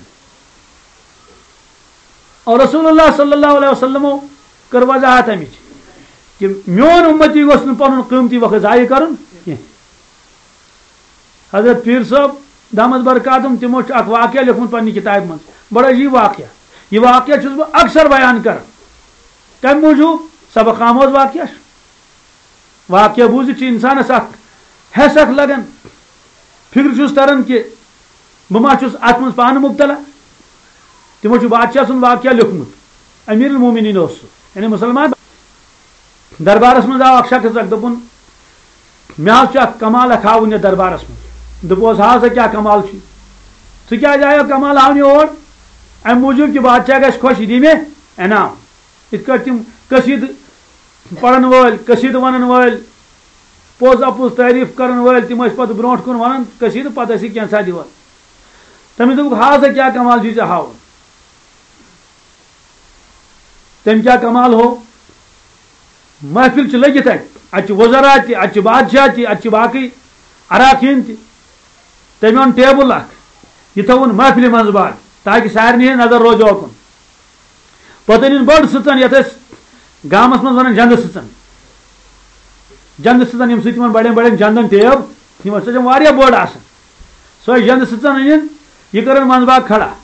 اور رسول اللہ صلی اللہ علیہ وسلمو کٔر وضاحت امِچ کہ میون امتی گوٚژھ نہٕ پنُن قۭمتی وقت ضایع کرُن کینٛہہ۔ حضرت پیٖر صٲب دامت برکاتہم، تِمو چھُ اکھ واقعہ لیوٚکھمُت پننہِ کتابہِ منٛز، بڑٕ عجیٖب واقعہ۔ یہِ واقعہ چھُس بہٕ اکثر بیان کران۔ کمہِ موٗجوٗب؟ سبق آموز واقعہ چھُ۔ واقعہ بوٗزِتھ چھُ انسانس اکھ حیس اکھ لگان، فکر چھُس تران کہِ بہٕ ما چھُس اتھ منٛز پانہٕ مبتلا۔ تِمو چھُ بادشاہ سُنٛد واقعہ لیوٚکھمُت، امیر المومنین اوس سُہ، یعنی مسلمان۔ دربارس منٛز آو اکھ شخص اکھ، دوٚپُن، "مےٚ حظ چھُ اکھ کمال اکھ ہاوُن یتھ دربارس منٛز۔" دوٚپُس، "ہاو سا کیٛاہ کمال چھُے؟ ژٕ کیٛازِ آیو کمال ہاونہِ اور؟" "امہِ موٗجوٗب کہِ بادشاہ گژھِ خۄش، یہِ دِیہِ مےٚ انعام۔" یِتھ کٲٹھۍ تِم قصیٖدٕ پرن وٲلۍ، قصیٖدٕ ونن وٲلۍ، پوٚز اپُز تعریٖف کرن وٲلۍ، تِم ٲسۍ پتہٕ برونٛٹھ کُن ونان قصیٖدٕ، پتہٕ ٲسۍ یہِ کینٛژھا دِوان۔ تٔمِس دوٚپُکھ، "ہاو سا کیٛاہ کمال چھُے ژےٚ ہاوُن؟" تٔمۍ کیٛاہ کمال ہوو؟ محفل چھِ لٔگِتھ اَتہِ، اَتہِ چھِ وزراء تہِ، اَتہِ چھِ بادشاہ تہِ، اَتہِ چھِ باقٕے اراکین تہِ۔ تٔمۍ اوٚن ٹیبل اکھ، یہِ تھوٚوُن محفلہِ منٛز باگ، تاکہِ سارنٕے ہٕنٛز نظر روزِ اوکُن۔ پتہٕ أنِن بٔڑ سٕژن، یَتھ أسۍ گامَس منٛز وَنان جَندٕ سٕژن۔ جَندٕ سٕژن، ییٚمہِ سۭتۍ تِمن بَڑٮ۪ن بَڑٮ۪ن جَندَن ٹیب، یِمن سۭتۍ واریاہ بٔڑ آسان۔ سۄے جَندٕ سٕژن أنِن، یہِ کٔرٕن منٛزباگ کھڑا،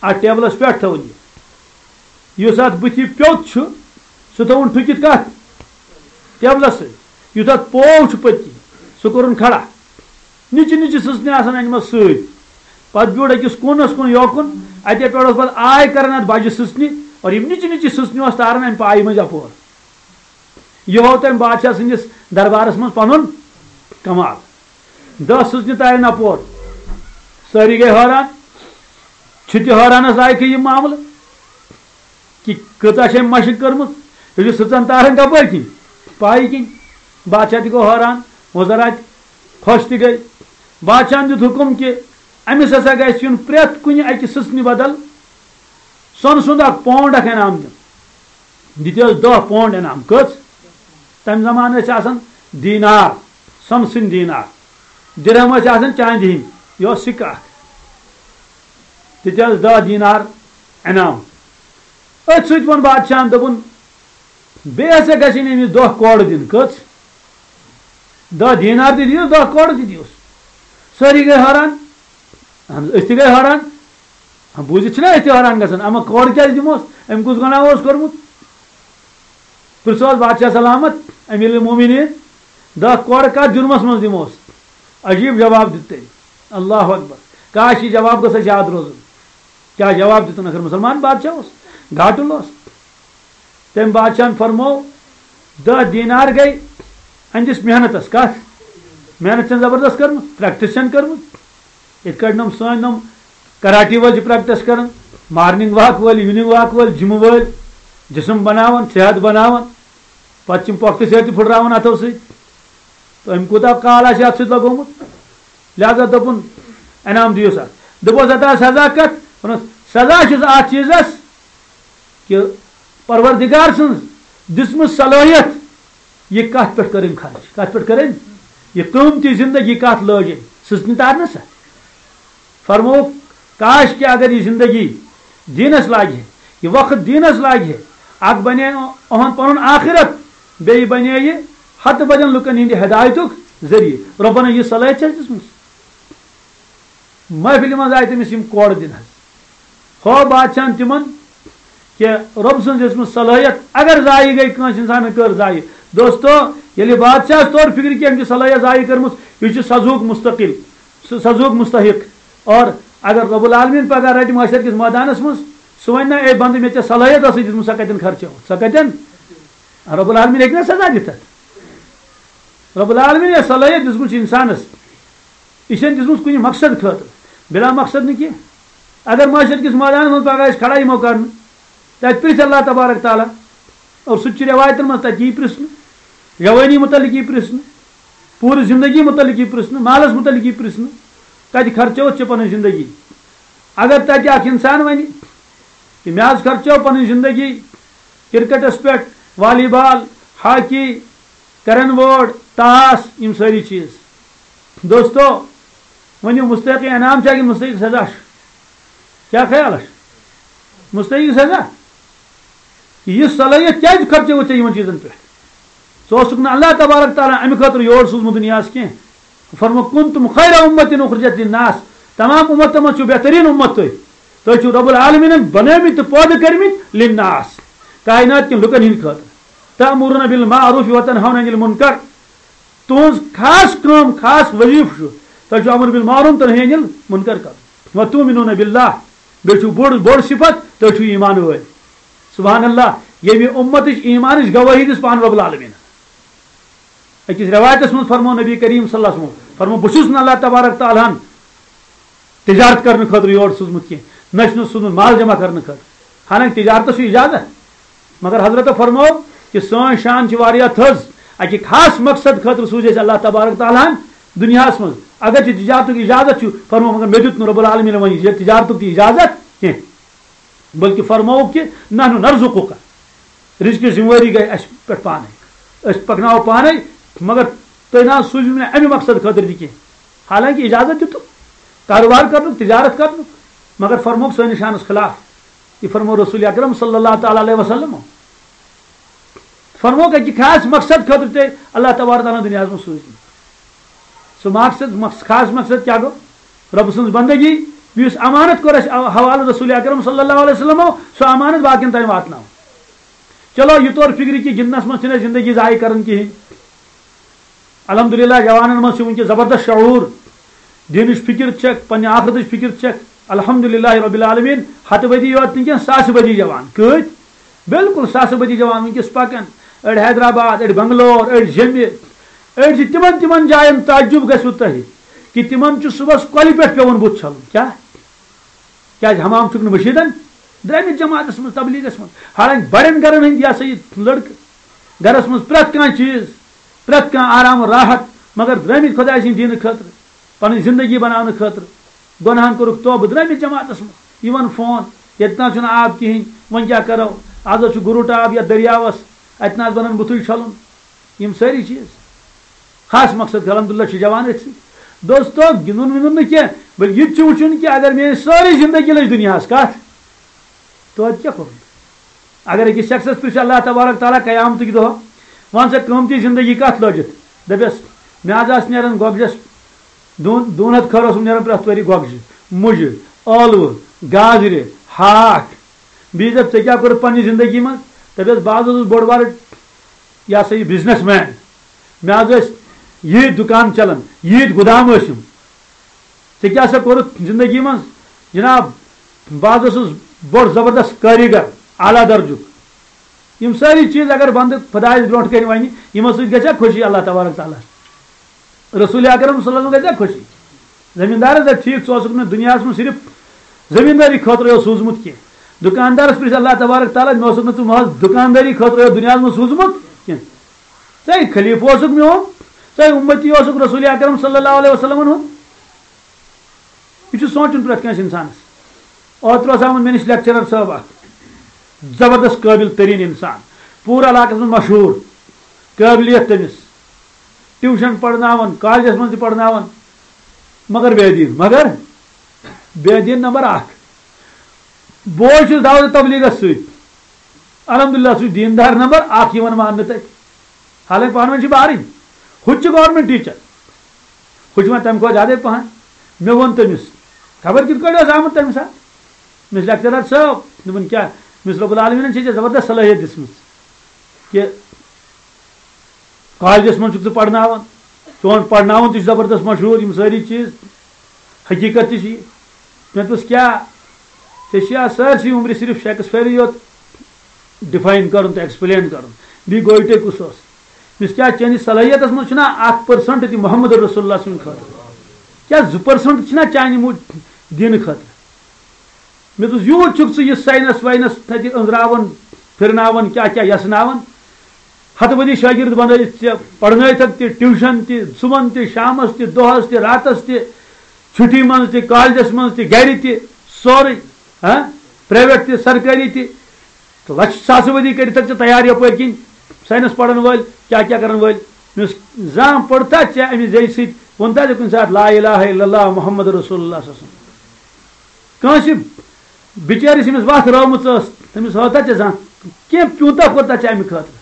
اَتھ ٹیبلَس پٮ۪ٹھ تھٲوٕن یہِ۔ یُس اَتھ بٕتھِ پیوٚت چھُ، سُہ تھٲوٕن ٹھُکِتھ کَتھ؟ ٹیبلَس سۭتۍ۔ یُس اَتھ پوو چھُ پٔتۍ کِنۍ، سُہ کوٚرُن کھڑا۔ نِچہِ نِچہِ سٕژنہِ آسان أنمٕژ سۭتۍ۔ پتہٕ بیوٗٹھ أکِس کوٗنس کُن یوکُن، اَتے پٮ۪ٹھ اوس پتہٕ آے کران اَتھ بجہِ سٕژنہِ، اور یِم نِچہِ نِچہِ سٕژنہِ اوس تاران اَمہِ پایہِ مٔنٛزۍ اَپور۔ یہِ ہوو تٔمۍ بادشاہ سٕنٛدِس دربارس منٛز پنُن کمال۔ دَہ سٕژنہِ تارن اَپور۔ سٲری گٔے حٲران۔ چھِ تہِ حٲرانس لایقٕے یہِ معاملہٕ۔ کہ کۭژاہ چھےٚ أمۍ مشق کٔرمٕژ، یہِ چھُ سٕژن تاران کپٲرۍ کِنۍ؟ پایہِ کِنۍ۔ بادشاہ تہِ گوٚو حٲران، وزراء تہِ خۄش تہِ گٔے۔ بادشاہن دیُت حُکم کہ أمِس ہسا گژھِ یُن پرٛٮ۪تھ کُنہِ اَکہِ سٕژنہِ بدل سۄنہٕ سُنٛد اکھ پونڈ اکھ انعام دیُن۔ دِتِس دَہ پونڈ انعام۔ کٔژ؟ تمہِ زمانہٕ ٲسۍ آسان دینار، سۄنہٕ سٕنٛدۍ دینار۔ درہم ٲسۍ آسان چاندِ ہٕنٛدۍ۔ یہِ اوس سِکہٕ اکھ۔ تہِ تہِ ٲس دَہ دینار انعام۔ أتھۍ سۭتۍ ووٚن بادشاہن، دوٚپُن، "بیٚیہِ ہسا گژھن أمِس دَہ کورٕ دِنۍ۔" کٔژ؟ دَہ دینار تہِ دِیوس، دَہ کورٕ تہِ دِیوس۔ سٲری گٔے حٲران۔ اہن حظ، أسۍ تہِ گٔے حٲران۔ ہاں، بوٗزِتھ چھِنہ أسۍ تہِ حٲران گژھان، اما کورٕ کیٛازِ دِموس؟ أمۍ کُس گۄناہ اوس کوٚرمُت؟ پرٛژھوس بادشاہ سلامت، امیر المومنین، دَہ کورٕ کتھ جُرمس منٛز دِموس؟ عجیب جواب دیُت تٔمۍ۔ اللہ اکبر۔ کاش، یہِ جواب گوٚژھ اَسہِ یاد روزُن۔ کیٛاہ جواب دیُتُن؟ آخر مسلمان بادشاہ اوس، گاٹُل اوس۔ تٔمۍ بادشاہن فرموو، دَہ دینار گٔے أہنٛدِس محنتس۔ کتھ؟ محنت چھَنہٕ زبردست کٔرمٕژ، پریکٹس چھَنہٕ کٔرمٕژ۔ یِتھ کٲٹھۍ یِم سٲنۍ یِم کراٹی وٲلۍ چھِ پریکٹس کران، مارننگ واک وٲلۍ، ایوننگ واک وٲلۍ، جمہٕ وٲلۍ، جسم بناوان، صحت بناوان، پتہٕ چھِ یِم پۄختہٕ صحت تہِ پھُٹراوان اتھو سۭتۍ۔ تہٕ أمۍ کوٗتاہ کال آسہِ اتھ سۭتۍ لگومُت؟ لہذا دوٚپُن، انعام دِیِو سا۔ دوٚپُس، ہتا سزا کتھ؟ ووٚنُس، سزا چھُس اتھ چیٖزس کہِ پروردگار سٕنٛز دِژمٕژ صلٲحیت، یہِ کتھ پٮ۪ٹھ کٔرٕنۍ خرچ؟ کتھ پٮ۪ٹھ کٔرٕنۍ؟ یہِ قۭمتی زندگی کتھ لٲج أمۍ؟ سٕژنہِ تارنہٕ سا؟ فرمووُکھ، کاش کہِ اگر یہِ زندگی دیٖنس لاگہِ ہے، یہِ وقت دیٖنس لاگہِ ہے، اکھ بنے اُہُنٛد پنُن آخرت، بیٚیہِ بنے یہِ ہتہٕ بدٮ۪ن لُکن ہٕنٛدِ ہدایتُک ذٔریعہٕ۔ رۄبن یہِ صلٲحیت چھےٚ دِژمٕژ۔ محفلہِ منٛز آیہِ تٔمِس یِم کورٕ دِنہٕ حظ۔ ہو بادشاہن تِمن کہِ رۄب سٕنٛز دِژمٕژ صلٲحیت اگر ضایع گٔے، کٲنٛسہِ انسانن کٔر ضایع۔ دوستو، ییٚلہِ بادشاہس توٚر فِکرِ کہِ أمۍ چھِ صلٲحیت ضایع کٔرمٕژ، یہِ چھُ سزہُک مستقل، سُہ سزہُک مستحق۔ اور اگر رب العالمین پگاہ رٹہِ محشر کِس مٲدانس منٛز، سُہ ونہِ نہ، "اے بندٕ، مےٚ ژےٚ صلٲحیت ٲسٕے دِژمٕژ، سۄ کتٮ۪ن خرچٲوٕتھ؟ سۄ کتٮ۪ن؟" رب العالمین ہیٚکہِ نہ سزا دِتھ اتھ؟ رب العالمین یۄس صلٲحیت دِژمٕژ چھِ انسانس، یہِ چھَنہٕ دِژمٕژ کُنہِ مقصد خٲطرٕ، بلا مقصد نہٕ کینٛہہ۔ اگر محشر کِس مٲدانس منٛز پگاہ أسۍ کھڑا یِمو کرنہٕ، تتہِ پرٛژھِ اللہ تبارک تعالیٰ، اور سُہ تہِ چھُ رٮ۪وایتن منٛز، تتہِ یی پرٛژھنہٕ، جوٲنی متعلق یی پرٛژھنہٕ، پوٗرٕ زندگی متعلق یی پرٛژھنہٕ، مالس متعلق یی پرٛژھنہٕ، کتہِ خرچٲوٕتھ ژےٚ پنٕنۍ زندگی؟ اگر تتہِ اکھ انسان ونہِ کہِ مےٚ حظ خرچٲو پنٕنۍ زندگی کرکٹس پٮ۪ٹھ، والی بال، ہاکی، کرن بورڈ، تاس، یِم سٲری چیٖز۔ دوستو، ؤنِو، مستحق انعام چھا کِنہٕ مستحق سزا چھُ؟ کیٛاہ خیال چھُ؟ مستحق سزا۔ یہِ صلٲحیت کیٛازِ خرچٲوٕتھ ژےٚ یِمن چیٖزن پٮ۪ٹھ؟ ژٕ اوسُکھ نہٕ اللہ تبارک تعالیٰ امہِ خٲطرٕ یور سوٗزمُت دُنیاہس کینٛہہ۔ فرمو، "کنتم خیر امت اخرجت للناس"، تمام امتن منٛز چھُو بہتریٖن امت تُہۍ۔ تُہۍ چھِو رب العالمینن بنٲومٕتۍ تہٕ پٲدٕ کٔرمٕتۍ للناس، کائنات کٮ۪ن لُکن ہٕنٛدِ خٲطرٕ۔ تأمرون بالمعروف وتنہون عن المنکر۔ تُہنٛز خاص کٲم، خاص وظیفہٕ چھُ، تۄہہِ چھُ امر بالمعروف تہٕ نہی عن المنکر کرُن۔ وتؤمنون باللہ، بیٚیہِ چھُو بوٚڑ، بوٚڑ صفت، تُہۍ چھِو ایمان وٲلۍ۔ سبحان اللہ، ییٚمہِ اُمتٕچ ایمانٕچ گوٲہی دِژ پانہٕ رب العالمین۔ أکِس رٮ۪وایتَس منٛز فرموو نبی کریم صلی اللہ علیہ وسلم، فرموو، "بہٕ چھُس نہٕ اللہ تبارک تعالیٰ ہن تجارت کرنہٕ خٲطرٕ یور سوٗزمُت کینٛہہ، نہ چھُنہٕ سوٗزمُت مال جمع کرنہٕ خٲطرٕ۔" حالانکہِ تجارتَس چھُ اجازت، مگر حضرت فرموو کہِ سٲنۍ شان چھِ واریاہ تھٔز، اَکہِ خاص مقصد خٲطرٕ سوٗز اَسہِ اللہ تبارک تعالیٰ ہن دُنیاہَس منٛز۔ اگرچہِ تجارتُک اجازت چھُ، فرموو، مگر مےٚ دیُت نہٕ رب العالمین وۄنۍ یہِ تجارتُک تہِ اجازت کینٛہہ۔ بلکہ فرمووُکھ کہ نحن نرزقک، رزقٕچ ذمہ وٲری گٔے اَسہِ پٮ۪ٹھ پانے، أسۍ پکناوو پانے، مگر تُہۍ نہ حظ سوٗزِو نہٕ اَمہِ مقصد خٲطرٕ تہِ کینٛہہ۔ حالانکہ اجازت دِتُکھ کاروبار کرنُک، تجارت کرنُک، مگر فرمووُکھ سٲنِس شانس خلاف۔ یہِ فرموو رسول اکرم صلی اللہ تعالیٰ علیہ وسلم۔ فرمووُکھ اَکہِ خاص مقصد خٲطرٕ تہِ اللہ تبارک تعالیٰ ہن دُنیاہَس منٛز سوٗزمٕتۍ۔ سُہ مقصد، مقص-، خاص مقصد کیٛاہ گوٚو؟ رۄب سٕنٛز بندگی، یُس امانت کوٚر اَسہِ حوالہٕ رسول اکرم صلی اللہ علیہ وسلمو، سُہ امانت باقین تام واتناوُن۔ چلو، یہِ توٚر فِکرِ کہِ گِنٛدنَس منٛز چھِنہٕ أسۍ زندگی ضایع کران کِہیٖنۍ۔ الحمدللہ، جوانن منٛز چھُ وٕنکیٚس زبردست شعور، دیٖنٕچ فِکر چھکھ، پننہِ آخرتٕچ فِکر چھکھ۔ الحمدللہ رب العالمین، ہتہٕ بدی یوت نہٕ کینٛہہ، ساسہٕ بدی جوان۔ کۭتۍ؟ بالکل ساسہٕ بدی جوان وٕنکیٚس پکان۔ أڑۍ حیدرآباد، أڑۍ بنگلور، أڑۍ جیٚمہِ، أڑۍ چھِ تِمن، تِمن جاین، تعجب گژھِوٕ تۄہہِ کہِ تِمن چھُ صُبحس کۄلہِ پٮ۪ٹھ پٮ۪وان بُتھ چھلُن۔ کیٛاہ؟ کیٛازِ حمام چھُکھ نہٕ مٔشیٖدن؟ درٛامٕتۍ جماعتس منٛز، تبلیغس منٛز۔ حالانکہِ بڑٮ۪ن گرن ہٕنٛدۍ، یہِ ہسا یہِ لڑکہٕ، گرس منٛز پرٛٮ۪تھ کانٛہہ چیٖز، پرٛٮ۪تھ کانٛہہ آرام و راحت، مگر درٛامٕتۍ خۄداے سٕنٛدِ دیٖنہٕ خٲطرٕ، پنٕنۍ زندگی بناونہٕ خٲطرٕ۔ گۄناہن کوٚرُکھ توبہٕ، درٛامٕتۍ جماعتس منٛز۔ یِوان فون، ییٚتہِ نہ چھُنہٕ آب کِہیٖنۍ، وۄنۍ کیٛاہ کرو؟ از حظ چھُ گُرُٹ آب یتھ دٔریاوس، اتہِ نہ حظ بنان بُتھُے چھلُن۔ یِم سٲری چیٖز۔ خاص مقصد، الحمدللہ، چھِ جوان أتھۍ سۭتۍ۔ دوستو، گِنٛدُن وِنٛدُن نہٕ کینٛہہ، بلکہِ یہِ تہِ چھُ وٕچھُن کہِ اگر میٲنۍ سٲرٕے زندگی لٔج دُنیاہَس، کَتھ؟ توتہِ کیٛاہ کوٚرُن؟ اگر أکِس شخصس پرٛژھِ اللہ تبارک تعالیٰ قیامتٕکۍ دۄہ، وَن سا قۭمتی زندگی کَتھ لٔجِتھ؟ دَپٮ۪س، مےٚ حظ آسہٕ نیران گۄگجَس دۄن، دۄن ہَتھ کھٔر اوسُم نیران پرٛٮ۪تھ ؤری گۄگجہِ، مُجہِ، ٲلوٕ، گازرِ، ہاکھ۔ بیٚیہِ دَپ، ژےٚ کیٛاہ کوٚرُتھ پنٛنہِ زندگی منٛز؟ دَپٮ۪س، بہٕ حظ اوسُس بوٚڑ بارٕ، یہِ ہسا یہِ، بزنس مین۔ مےٚ حظ ٲسۍ ییٖتۍ دُکان چلان، ییٖتۍ گُدام ٲسِم۔ ژےٚ کیٛاہ سا کوٚرُتھ زندگی منٛز؟ جناب، بہٕ حظ اوسُس بوٚڑ زبردست کٲریٖگر، اعلیٰ درجُک۔ یِم سٲری چیٖز اگر بندٕ خۄدایَس برونٛٹھ کَنہِ وَنہِ، یِمو سۭتۍ گژھِ ہا خۄشی اللہ تبارک تعالیٰ۔ رسول اکرم صلی اللہ علیہ وسلم گژھِ ہا خۄشی۔ زٔمیٖندارَس دَپہِ، ٹھیٖک، ژٕ اوسُکھ مےٚ دُنیاہَس منٛز صرف زٔمیٖندٲری خٲطرٕ یوت سوٗزمُت کینٛہہ۔ دُکاندارَس پرٛژھِ اللہ تبارک تعالیٰ، مےٚ اوسُکھ نہٕ ژٕ محض دُکاندٲری خٲطرٕ یوت دُنیاہَس منٛز سوٗزمُت کینٛہہ۔ ژٕ ہے خلیٖفہٕ اوسُکھ میون، ژٕ ہے اُمتی اوسُکھ رسول اکرم صلی اللہ علیہ وسلم ہُنٛد۔ یہِ چھُ سونٛچُن پرٛٮ۪تھ کٲنٛسہِ اِنسانَس۔ اوترٕ اوس آمُت مےٚ نِش لیکچرر صٲب اَکھ، زبردست قٲبِل تریٖن اِنسان، پوٗرٕ علاقَس منٛز مشہوٗر، قٲبلیت تٔمِس، ٹیوٗشن پَرناوان، کالجَس منٛز تہِ پَرناوان، مگر بے دیٖن، مگر بے دیٖن نمبر اَکھ۔ بوے چھُس دعوت تبلیغس سۭتۍ۔ الحمدللہ، سُہ چھُ دیٖندار نمبر اَکھ یِوان ماننہٕ تَتہِ۔ حالانکہِ پانہٕ ؤنۍ چھِ بارٕنۍ۔ ہُہ تہِ چھُ گورمنٹ ٹیٖچر۔ ہُہ چھُ وۄنۍ تَمہِ کھۄتہٕ زیادَے پَہَن۔ مےٚ ووٚن تٔمِس، خبر کِتھ کٲٹھۍ اوس آمُت تَمہِ ساتہٕ۔ مےٚ چھُ لیکچرر صٲب، دوٚپُن، کیٛاہ؟ مےٚ چھُ رۄب العالمیٖنَن چھےٚ ژےٚ زبردست صلٲحیت دِژمٕژ کہِ کالجس منٛز چھُکھ ژٕ پرناوان، چون پرناوُن تہِ چھُ زبردست مشہوٗر، یِم سٲری چیٖز، حقیٖقت تہِ چھِ یہِ۔ مےٚ دوٚپُس، کیٛاہ؟ ژےٚ چھِ اَتھ سٲرسٕے عمرِ صرف شیکسپیرٕے یوت ڈِفاین کَرُن تہٕ ایکسپلین کَرُن، بیٚیہِ گویٹے کُس اوس؟ مےٚ دوٚپُس، کیٛاہ چٲنِس صلٲحیتس منٛز چھُنہ اکھ پٔرسنٹ تہِ محمد رسول اللہ سٕنٛدِ خٲطرٕ؟ کیٛاہ زٕ پٔرسنٹ چھِنہ چانہِ موٗ-، دیٖنہٕ خٲطرٕ؟ مےٚ دوٚپُس، یوٗت چھُکھ ژٕ یہِ ساینس واینس تَتہِ أنٛزراوان، پھِرناوان، کیٛاہ کیٛاہ یَژھناوان؟ ہَتہٕ بٔدی شٲگِرد بَنٲوِتھ ژےٚ، پَرنٲوِتھَکھ تہِ، ٹیوٗشَن تہِ، صُبحن تہِ، شامَس تہِ، دۄہَس تہِ، راتَس تہِ، چھُٹی منٛز تہِ، کالجَس منٛز تہِ، گَرِ تہِ، سورُے، ہاں، پرٛایویٹ تہِ، سرکٲری تہِ۔ تہٕ لَچھ ساسہٕ بٔدی کٔرِتھَکھ ژےٚ تیار یَپٲرۍ کِنۍ ساینس پَرَن وٲلۍ، کیٛاہ کیٛاہ کَرَن وٲلۍ۔ مےٚ اوس زانٛہہ پوٚرتھا ژےٚ اَمہِ زیٚیہِ سۭتۍ، ووٚنتھا ژےٚ کُنہِ ساتہٕ لا الہ الا اللہ محمد رسول اللہ صلی اللہ علیہ وسلم؟ کٲنٛسہِ بِچٲرِس ییٚمِس وَتھ رٲومٕژ ٲس، تٔمِس ہٲوتھا ژےٚ زانٛہہ کینٛہہ پیوٗنٛتاہ کوٚرتھا ژےٚ اَمہِ خٲطرٕ؟